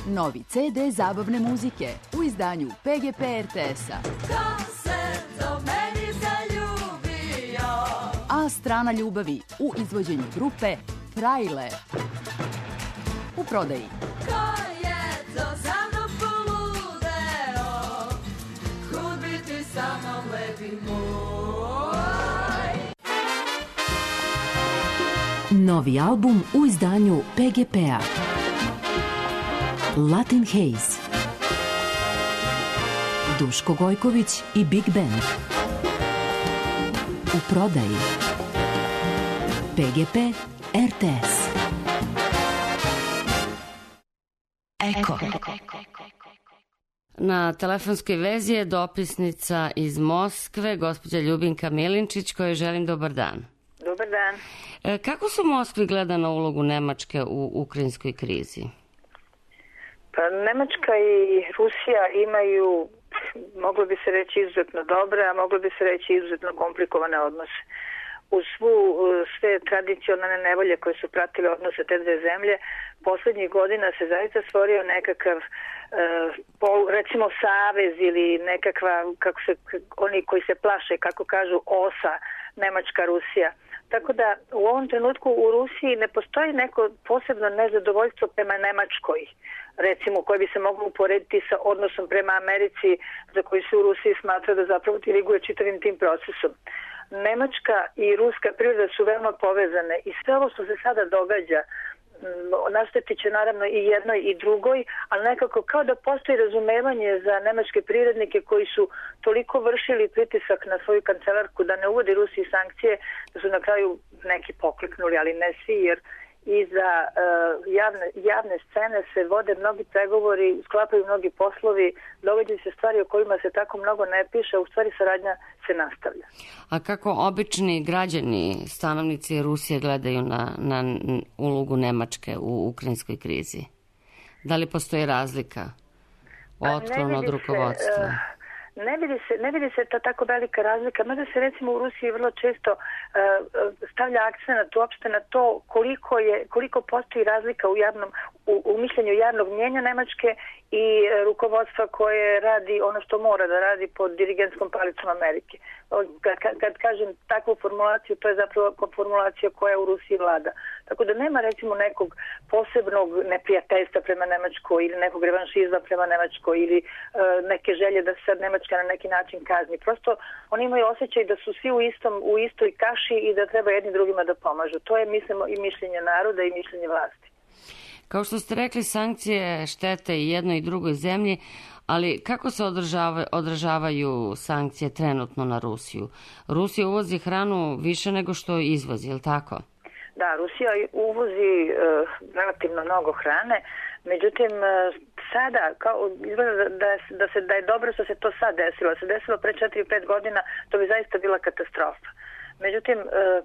Novi ce de zabavne muzike u izdanju P G P R T S-a. Ko se do meni zaljubio? A strana ljubavi u izvođenju grupe Trailer. U prodaji. Ko je to za mnom poludeo? Kud biti sa mnom lepi moj? Novi album u izdanju P G P-a. Latin Haze. Duško Gojković i Big Band. U prodaji. P G P R T S. Eko. Na telefonskoj vezi je dopisnica iz Moskve, gospođa Ljubinka Milinčić, kojoj želim dobar dan. Dobar dan. E, kako se u Moskvi gleda na ulogu Nemačke u ukrajinskoj krizi? Pa Nemačka i Rusija imaju, moglo bi se reći, izuzetno dobre, a moglo bi se reći izuzetno komplikovane odnose. Uz svu, sve tradicionalne nevolje koje su pratile odnose te dve zemlje, poslednjih godina se zaista stvorio nekakav e, pol, recimo savez ili nekakva, kako se, oni koji se plaše, kako kažu, osa Nemačka-Rusija. Tako da u ovom trenutku u Rusiji ne postoji neko posebno nezadovoljstvo prema Nemačkoj, recimo, koje bi se moglo uporediti sa odnosom prema Americi, za koji se u Rusiji smatra da zapravo diriguje čitavim tim procesom. Nemačka i ruska priroda su veoma povezane i sve ovo što se sada događa našteti će naravno i jednoj i drugoj, ali nekako kao da postoji razumevanje za nemačke privrednike koji su toliko vršili pritisak na svoju kancelarku da ne uvodi Rusiji sankcije, da su na kraju neki pokliknuli, ali ne svi, jer i za uh, javne, javne scene se vode mnogi pregovori, sklapaju mnogi poslovi, događaju se stvari o kojima se tako mnogo ne piše, a u stvari saradnja se nastavlja. A kako obični građani, stanovnici Rusije gledaju na, na ulogu Nemačke u ukrajinskoj krizi? Da li postoji razlika otklon od rukovodstva? Se, uh, Ne vidi se, ne vidi se ta tako velika razlika, mada se recimo u Rusiji vrlo često uh, stavlja akcenat uopšte na to koliko je, koliko postoji razlika u javnom, u, u mišljenju javnog mnjenja Nemačke i rukovodstva koje radi ono što mora da radi pod dirigentskom palicom Amerike. Kad, kad, kad kažem takvu formulaciju, to je zapravo formulacija koja u Rusiji vlada. Tako da nema recimo nekog posebnog neprijateljstva prema Nemačkoj ili nekog revanšizma prema Nemačkoj ili e, neke želje da se sad Nemačka na neki način kazni. Prosto oni imaju osjećaj da su svi u, istom, u istoj kaši i da treba jedni drugima da pomažu. To je, mislimo, i mišljenje naroda i mišljenje vlasti. Kao što ste rekli, sankcije štete i jednoj i drugoj zemlji, ali kako se odražava, odražavaju sankcije trenutno na Rusiju? Rusija uvozi hranu više nego što izvozi, je li tako? Da, Rusija uvozi e, relativno mnogo hrane, međutim sada kao izgleda da, da, da, se, da je dobro što se to sad desilo. Se desilo pre četiri pet godina, to bi zaista bila katastrofa. Međutim,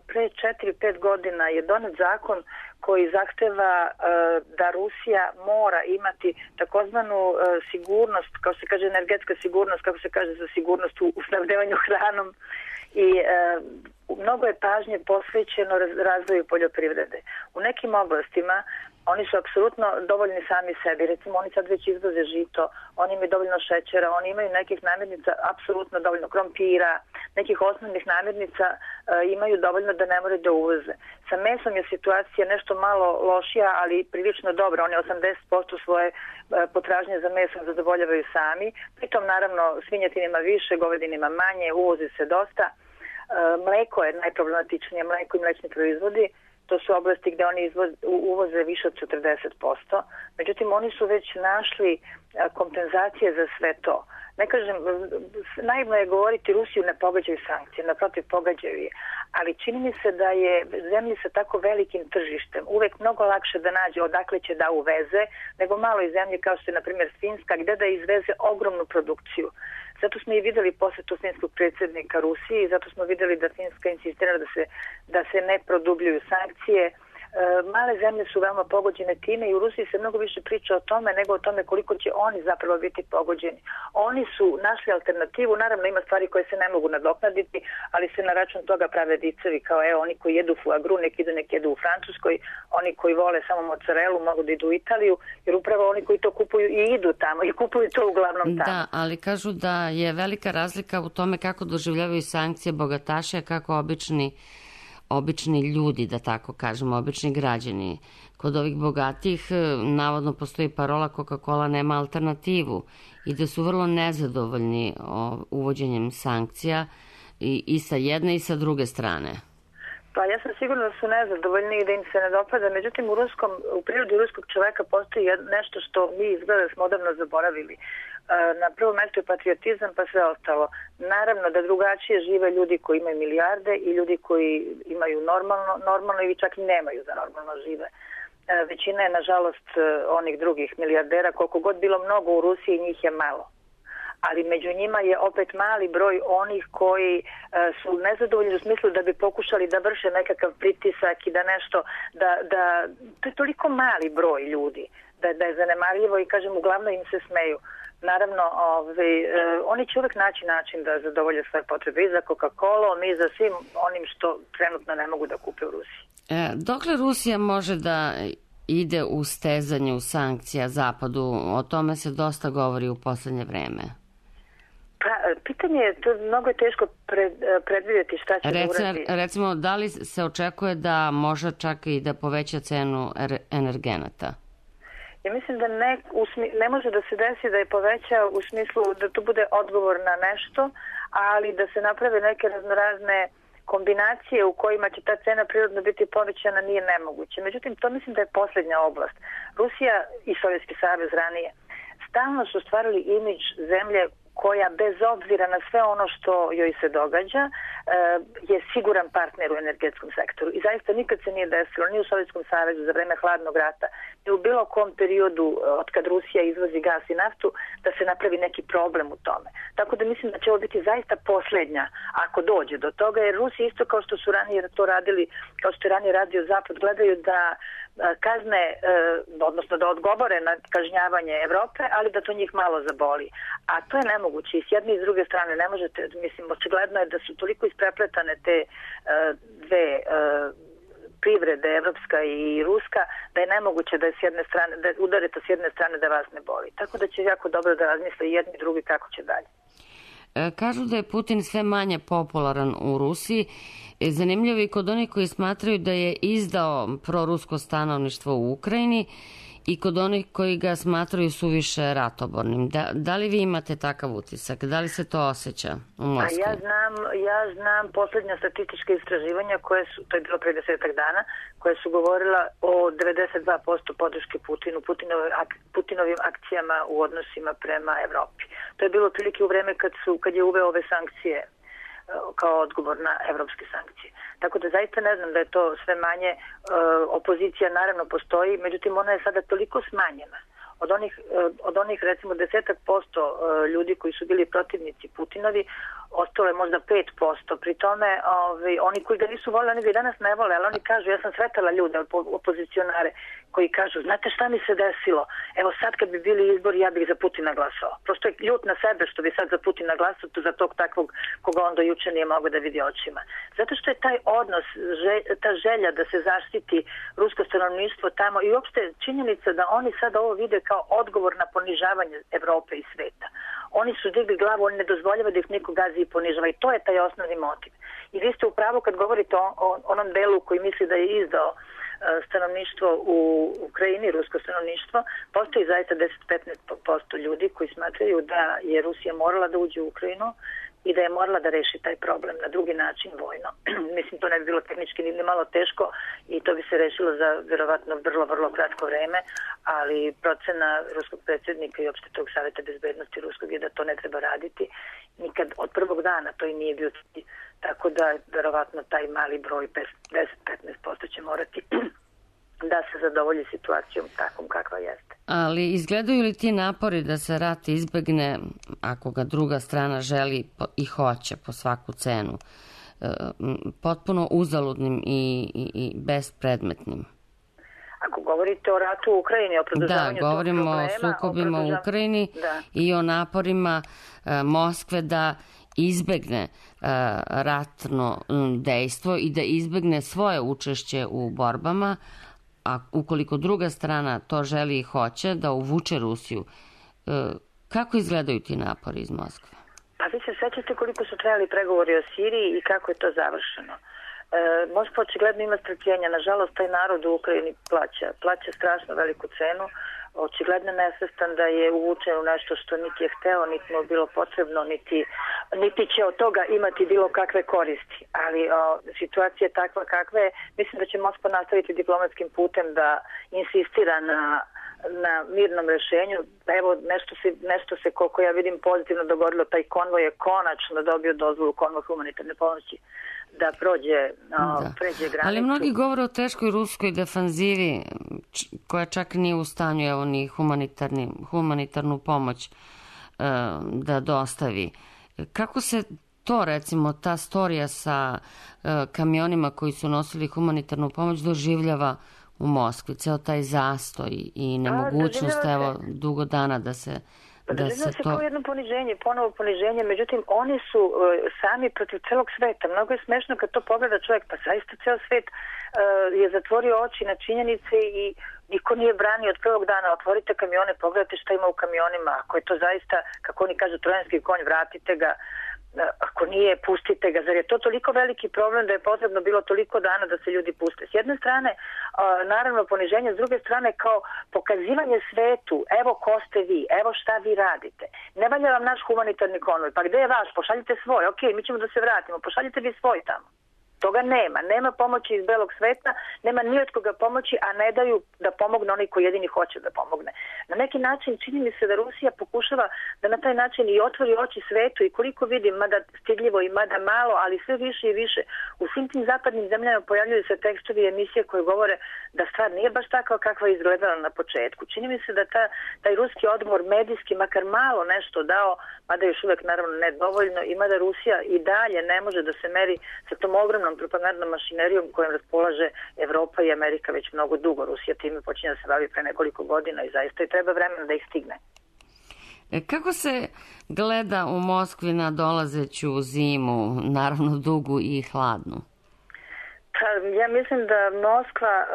pre četiri pet godina je donet zakon koji zahteva da Rusija mora imati takozvanu sigurnost, kao se kaže energetska sigurnost, kako se kaže za sigurnost u snabdevanju hranom, i mnogo je pažnje posvećeno razvoju poljoprivrede. U nekim oblastima oni su apsolutno dovoljni sami sebi. Recimo, oni sad već izvoze žito, oni imaju dovoljno šećera, oni imaju nekih namirnica apsolutno dovoljno, krompira, nekih osnovnih namirnica e, imaju dovoljno da ne moraju da uvoze. Sa mesom je situacija nešto malo lošija, ali prilično dobra. Oni osamdeset posto svoje e, potražnje za mesom zadovoljavaju sami. Pritom, naravno, svinjetinima više, govedinima manje, uvozi se dosta. E, mleko je najproblematičnije, mleko i mlečni proizvodi. To su oblasti gde oni izvoz, uvoze više od četrdeset posto. Međutim, oni su već našli kompenzacije za sve to. Ne kažem, naivno je govoriti Rusiju ne pogađaju sankcije, naprotiv pogađaju je. Ali čini mi se da je zemlji sa tako velikim tržištem uvek mnogo lakše da nađe odakle će da uveze, nego maloj zemlji kao što je, na primjer, Finska, gde da izveze ogromnu produkciju. Zato smo i videli posetu finskog predsjednika Rusiji i zato smo videli da Finska insistira da se, da se ne produbljuju sankcije. E, male zemlje su veoma pogođene time i u Rusiji se mnogo više priča o tome nego o tome koliko će oni zapravo biti pogođeni. Oni su našli alternativu, naravno ima stvari koje se ne mogu nadoknaditi, ali se na račun toga prave vicevi kao evo oni koji jedu foie gras nek idu nek jedu u Francuskoj, oni koji vole samo mozzarelu mogu da idu u Italiju, jer upravo oni koji to kupuju i idu tamo i kupuju to uglavnom tamo. Da, ali kažu da je velika razlika u tome kako doživljavaju sankcije bogataše, kako obični obični ljudi, da tako kažemo, obični građani. Kod ovih bogatih navodno postoji parola Coca-Cola nema alternativu i da su vrlo nezadovoljni uvođenjem sankcija i, i sa jedne i sa druge strane. Pa ja sam sigurna da su nezadovoljni i da im se ne dopada. Međutim, u, ruskom, u prirodi ruskog čoveka postoji nešto što mi izgleda da smo odavno zaboravili. Na prvom mestu je patriotizam, pa sve ostalo. Naravno da drugačije žive ljudi koji imaju milijarde i ljudi koji imaju normalno, normalno ili čak i nemaju da normalno žive. većina je nažalost onih drugih milijardera, koliko god bilo mnogo u Rusiji, njih je malo. Ali među njima je opet mali broj onih koji su nezadovoljni u smislu da bi pokušali da vrše nekakav pritisak i da nešto, da, da to je toliko mali broj ljudi, da, da je zanemarljivo i kažem, uglavnom im se smeju. Naravno, ovaj, oni će uvek naći način da zadovolje svoje potrebe i za Coca-Colom i za svim onim što trenutno ne mogu da kupe u Rusiji. E, dokle Rusija može da ide u stezanju sankcija Zapadu? O tome se dosta govori u poslednje vreme. Pa, pitanje je, to mnogo je teško pred, predvidjeti šta će Rece, da uradi. Recimo, da li se očekuje da može čak i da poveća cenu energenata? Ja mislim da ne, usmi, ne može da se desi da je poveća u smislu da to bude odgovor na nešto, ali da se naprave neke raznorazne kombinacije u kojima će ta cena prirodno biti povećana nije nemoguće. Međutim, to mislim da je posljednja oblast. Rusija i Sovjetski savez ranije stalno su stvarili imidž zemlje koja bez obzira na sve ono što joj se događa je siguran partner u energetskom sektoru. I zaista nikad se nije desilo ni u Sovjetskom savezu za vreme hladnog rata, ni u bilo kom periodu od kad Rusija izvozi gas i naftu, da se napravi neki problem u tome. Tako da mislim da će ovo biti zaista posljednja ako dođe do toga, jer Rusi isto kao što su ranije to radili, kao što je ranije radio Zapad, gledaju da kazne, odnosno da odgovore na kažnjavanje Evrope, ali da to njih malo zaboli. A to je nemoguće i s jedne i s druge strane ne možete, mislim, očigledno je da su toliko isprepletane te dve privrede, evropska i ruska, da je nemoguće da je s jedne strane, da udarite s jedne strane da vas ne boli. Tako da će jako dobro da razmisle i jedni i drugi kako će dalje. Kažu da je Putin sve manje popularan u Rusiji. Zanimljivo i kod onih koji smatraju da je izdao prorusko stanovništvo u Ukrajini i kod onih koji ga smatraju suviše ratobornim. Da, da li vi imate takav utisak? Da li se to osjeća u Moskvi? A ja znam, ja znam posljednja statistička istraživanja koje su, to je bilo pre desetak dana, koje su govorila o devedeset dva posto podrške Putinu, Putinove, Putinovim akcijama u odnosima prema Evropi. To je bilo otprilike u vreme kad, su, kad je uveo ove sankcije kao odgovor na evropske sankcije. Tako da zaista ne znam da je to sve manje. Opozicija naravno postoji, međutim ona je sada toliko smanjena. Od onih, od onih recimo desetak posto ljudi koji su bili protivnici Putinovi, ostalo je možda pet posto. Pri tome ovi, oni koji ga nisu volili, oni ga i danas ne vole, ali oni kažu, ja sam sretala ljude, opozicionare, koji kažu, znate šta mi se desilo? Evo sad kad bi bili izbori, ja bih za Putina glasao. Prosto je ljut na sebe što bi sad za Putina glasao, za tog takvog koga on do juče nije mogao da vidi očima. Zato što je taj odnos, ta želja da se zaštiti rusko stanovništvo tamo i uopšte činjenica da oni sad ovo vide kao odgovor na ponižavanje Evrope i sveta. Oni su digli glavu, oni ne dozvoljavaju da ih niko gazi i ponižava i to je taj osnovni motiv. I vi ste u pravu kad govorite o, o onom delu koji misli da je izdao stanovništvo u Ukrajini, rusko stanovništvo, postoji zaista deset do petnaest posto ljudi koji smatraju da je Rusija morala da uđe u Ukrajinu i da je morala da reši taj problem na drugi način, vojno. Mislim, to ne bi bilo tehnički ni malo teško i to bi se rešilo za verovatno vrlo, vrlo kratko vreme, ali procena ruskog predsjednika i opšte tog savjeta bezbednosti ruskog je da to ne treba raditi. Nikad od prvog dana to i nije bio cilj, tako da verovatno taj mali broj deset do petnaest posto će morati da se zadovolji situacijom takvom kakva jeste. Ali izgledaju li ti napori da se rat izbegne, ako ga druga strana želi i hoće po svaku cenu, potpuno uzaludnim i, i, i bespredmetnim? Ako govorite o ratu u Ukrajini, o produžavanju Da, govorimo problema, o sukobima o u Ukrajini da. I o naporima uh, Moskve da izbegne uh, ratno um, dejstvo i da izbegne svoje učešće u borbama, a ukoliko druga strana to želi i hoće, da uvuče Rusiju. Uh, kako izgledaju ti napori iz Moskve? Pa vi se sećate koliko su trajali pregovori o Siriji i kako je to završeno. E, Moskva očigledno ima strpljenja. Nažalost, taj narod u Ukrajini plaća. Plaća strašno veliku cenu. Očigledno nesvestan da je uvučen u nešto što niti je hteo, niti mu bilo potrebno, niti, niti će od toga imati bilo kakve koristi. Ali o, situacija je takva kakva je. Mislim da će Moskva nastaviti diplomatskim putem da insistira na na mirnom rešenju. Evo, nešto se, nešto se koliko ja vidim pozitivno dogodilo. Taj konvoj je konačno dobio dozvolu, konvoj humanitarne pomoći da prođe, o, Da. pređe granicu. Ali mnogi govore o teškoj ruskoj defanzivi č- koja čak nije u stanju evo, ni humanitarni, humanitarnu pomoć e, da dostavi. Kako se to, recimo, ta storija sa e, kamionima koji su nosili humanitarnu pomoć doživljava u Moskvi? Ceo taj zastoj i nemogućnost, doživljava evo, dugo dana da se da Doživljava se se to... kao jedno poniženje, ponovo poniženje, međutim oni su uh, sami protiv celog sveta. Mnogo je smešno kad to pogleda čovjek, pa zaista ceo svet uh, je zatvorio oči na činjenice i niko nije branio od prvog dana. Otvorite kamione, pogledajte šta ima u kamionima. Ako je to zaista, kako oni kažu, trojanski konj, vratite ga. Ako nije, pustite ga. Zar je to toliko veliki problem da je potrebno bilo toliko dana da se ljudi puste? S jedne strane, naravno poniženje, s druge strane kao pokazivanje svetu, evo ko ste vi, evo šta vi radite. Ne valja vam naš humanitarni konvoj, pa gde je vaš? Pošaljite svoj, ok, mi ćemo da se vratimo, pošaljite vi svoj tamo. Toga nema. Nema pomoći iz belog sveta, nema ni od koga pomoći, a ne daju da pomogne onaj koji jedini hoće da pomogne. Na neki način čini mi se da Rusija pokušava da na taj način i otvori oči svetu i koliko vidim, mada stidljivo i mada malo, ali sve više i više. U svim tim zapadnim zemljama pojavljuju se tekstovi i emisije koje govore da stvar nije baš takva kakva je izgledala na početku. Čini mi se da ta, taj ruski odgovor medijski makar malo nešto dao, mada još uvek naravno ne dovoljno, i mada Rusija i dalje ne može da se meri sa tom ogromnom propagandnom mašinerijom kojom raspolaže Evropa i Amerika već mnogo dugo. Rusija time počinje da se bavi pre nekoliko godina i zaista i treba vremena da ih stigne. E, kako se gleda u Moskvi na dolazeću zimu, naravno dugu i hladnu? Pa, ja mislim da Moskva uh,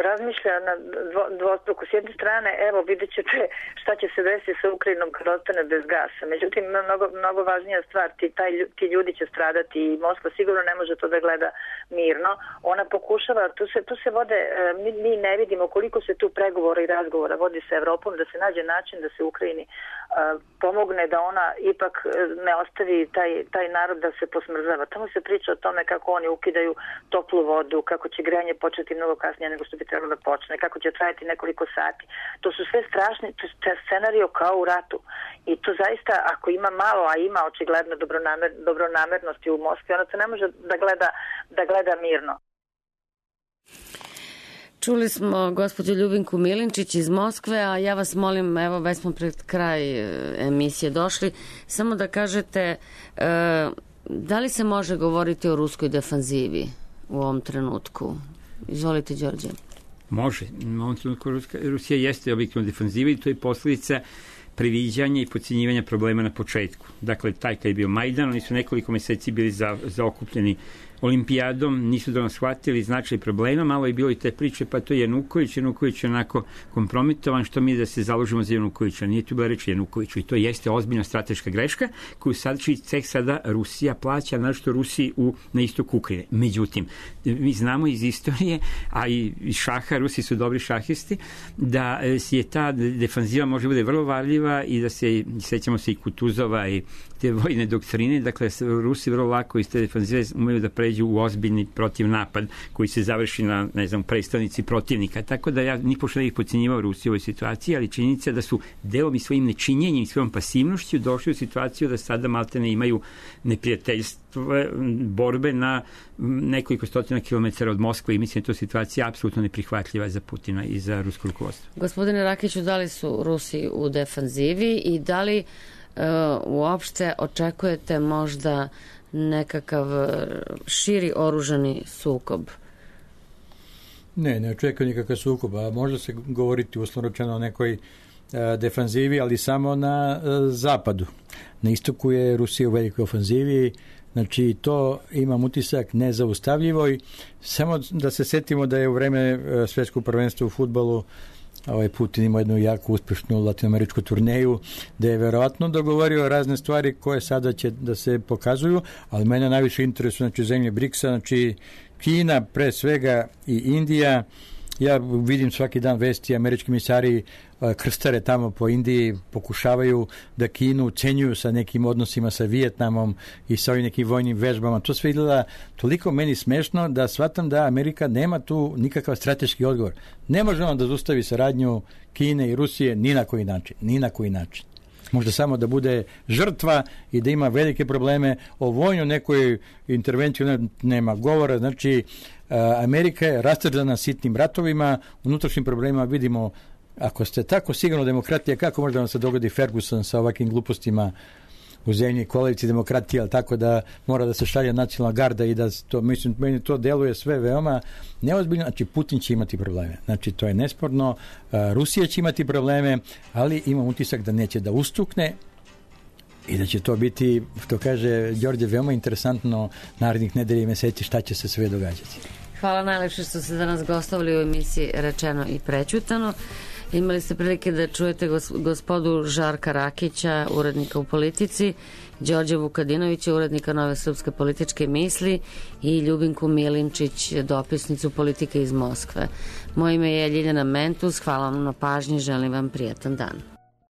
razmišlja na dvo, dvostruku. S jedne strane, evo, vidjet ćete šta će se desiti sa Ukrajinom kad ostane bez gasa. Međutim, mnogo, mnogo važnija stvar, ti, taj, ti ljudi će stradati i Moskva sigurno ne može to da gleda mirno. Ona pokušava, tu se, tu se vode, mi, mi ne vidimo koliko se tu pregovora i razgovora vodi sa Evropom, da se nađe način da se Ukrajini uh, pomogne da ona ipak ne ostavi taj, taj narod da se posmrzava. Tamo se priča o tome kako oni ukidaju toplu vodu, kako će grejanje početi mnogo kasnije nego što bi trebalo da počne, kako će trajati nekoliko sati. To su sve strašni scenario kao u ratu. I to zaista, ako ima malo, a ima očigledno dobronamer, dobronamernosti u Moskvi, ona se ne može da gleda, da gleda mirno. Čuli smo gospođu Ljubinku Milinčić iz Moskve, a ja vas molim, evo već smo pred kraj emisije došli, samo da kažete e, da li se može govoriti o ruskoj defanzivi u ovom trenutku? Izvolite, Đorđe. Može. U ovom trenutku Rusija jeste objektivno defanziva i to je posljedica previđanja i podcjenjivanja problema na početku. Dakle, taj kad je bio Majdan, oni su nekoliko meseci bili za, zaokupljeni olimpijadom, nisu da nas shvatili značaj problema, malo je bilo i te priče, pa to je Januković, Januković je onako kompromitovan, što mi da se založimo za Janukovića, nije tu bila reći Janukoviću i to jeste ozbiljna strateška greška koju sad ceh sada Rusija plaća, našto Rusiji u, na istoku Ukrajine. Međutim, mi znamo iz istorije, a i iz šaha, Rusi su dobri šahisti, da je ta defanziva može bude vrlo varljiva i da se, sećamo se i Kutuzova i te vojne doktrine, dakle Rusi vrlo lako iz te defanzive umeju da pređu u ozbiljni protiv napad koji se završi na, ne znam, predstavnici protivnika. Tako da ja ni pošto ne ih podcjenjivao Rusiju u ovoj situaciji, ali činjenica da su delom i svojim nečinjenjem i svojom pasivnošću došli u situaciju da sada maltene imaju neprijateljstvo, borbe na nekoliko stotina kilometara od Moskve i mislim da je to situacija apsolutno neprihvatljiva za Putina i za rusko rukovodstvo. Gospodine Rakiću, da li su Rusi u defanzivi i da li Uh, uopšte očekujete možda nekakav širi oružani sukob? Ne, ne očekujem nikakav sukob, a može se govoriti uslovno rečeno o nekoj uh, defanzivi, ali samo na uh, zapadu. Na istoku je Rusija u velikoj ofanzivi, znači to imam utisak nezaustavljivo i samo da se setimo da je u vreme uh, svjetskog prvenstva u fudbalu ovaj Putin ima jednu jako uspješnu latinoameričku turneju gde je verovatno dogovorio razne stvari koje sada će da se pokazuju, ali mene najviše interesuje znači zemlje briksa, znači Kina pre svega i Indija. Ja vidim svaki dan vesti, američki misari krstare tamo po Indiji pokušavaju da Kinu ucenjuju sa nekim odnosima sa Vijetnamom i sa ovim nekim vojnim vežbama. To sve izgleda toliko meni smešno da shvatam da Amerika nema tu nikakav strateški odgovor. Ne može on da zaustavi saradnju Kine i Rusije ni na koji način. Ni na koji način. Može samo da bude žrtva i da ima velike probleme. O vojnoj nekoj intervenciji nema govora. Znači, Amerika je rastrzana sitnim ratovima, unutrašnjim problemima vidimo, ako ste tako sigurno demokratija, kako može da vam se dogodi Ferguson sa ovakvim glupostima u zemlji koalici demokratije, ali tako da mora da se šalje nacionalna garda i da to, mislim, meni to deluje sve veoma neozbiljno. Znači, Putin će imati probleme. Znači, to je nesporno. Rusija će imati probleme, ali imam utisak da neće da ustukne i da će to biti, što kaže Đorđe, veoma interesantno narednih nedelja i meseci šta će se sve događati. Hvala najlepše što ste danas gostovali u emisiji Rečeno i prećutano. Imali ste prilike da čujete gospodu Žarka Rakića, urednika u Politici, Đorđe Vukadinovića, urednika Nove srpske političke misli i Ljubinku Milinčić, dopisnicu Politike iz Moskve. Moje ime je Ljiljana Mentus, hvala vam na pažnji, želim vam prijatan dan.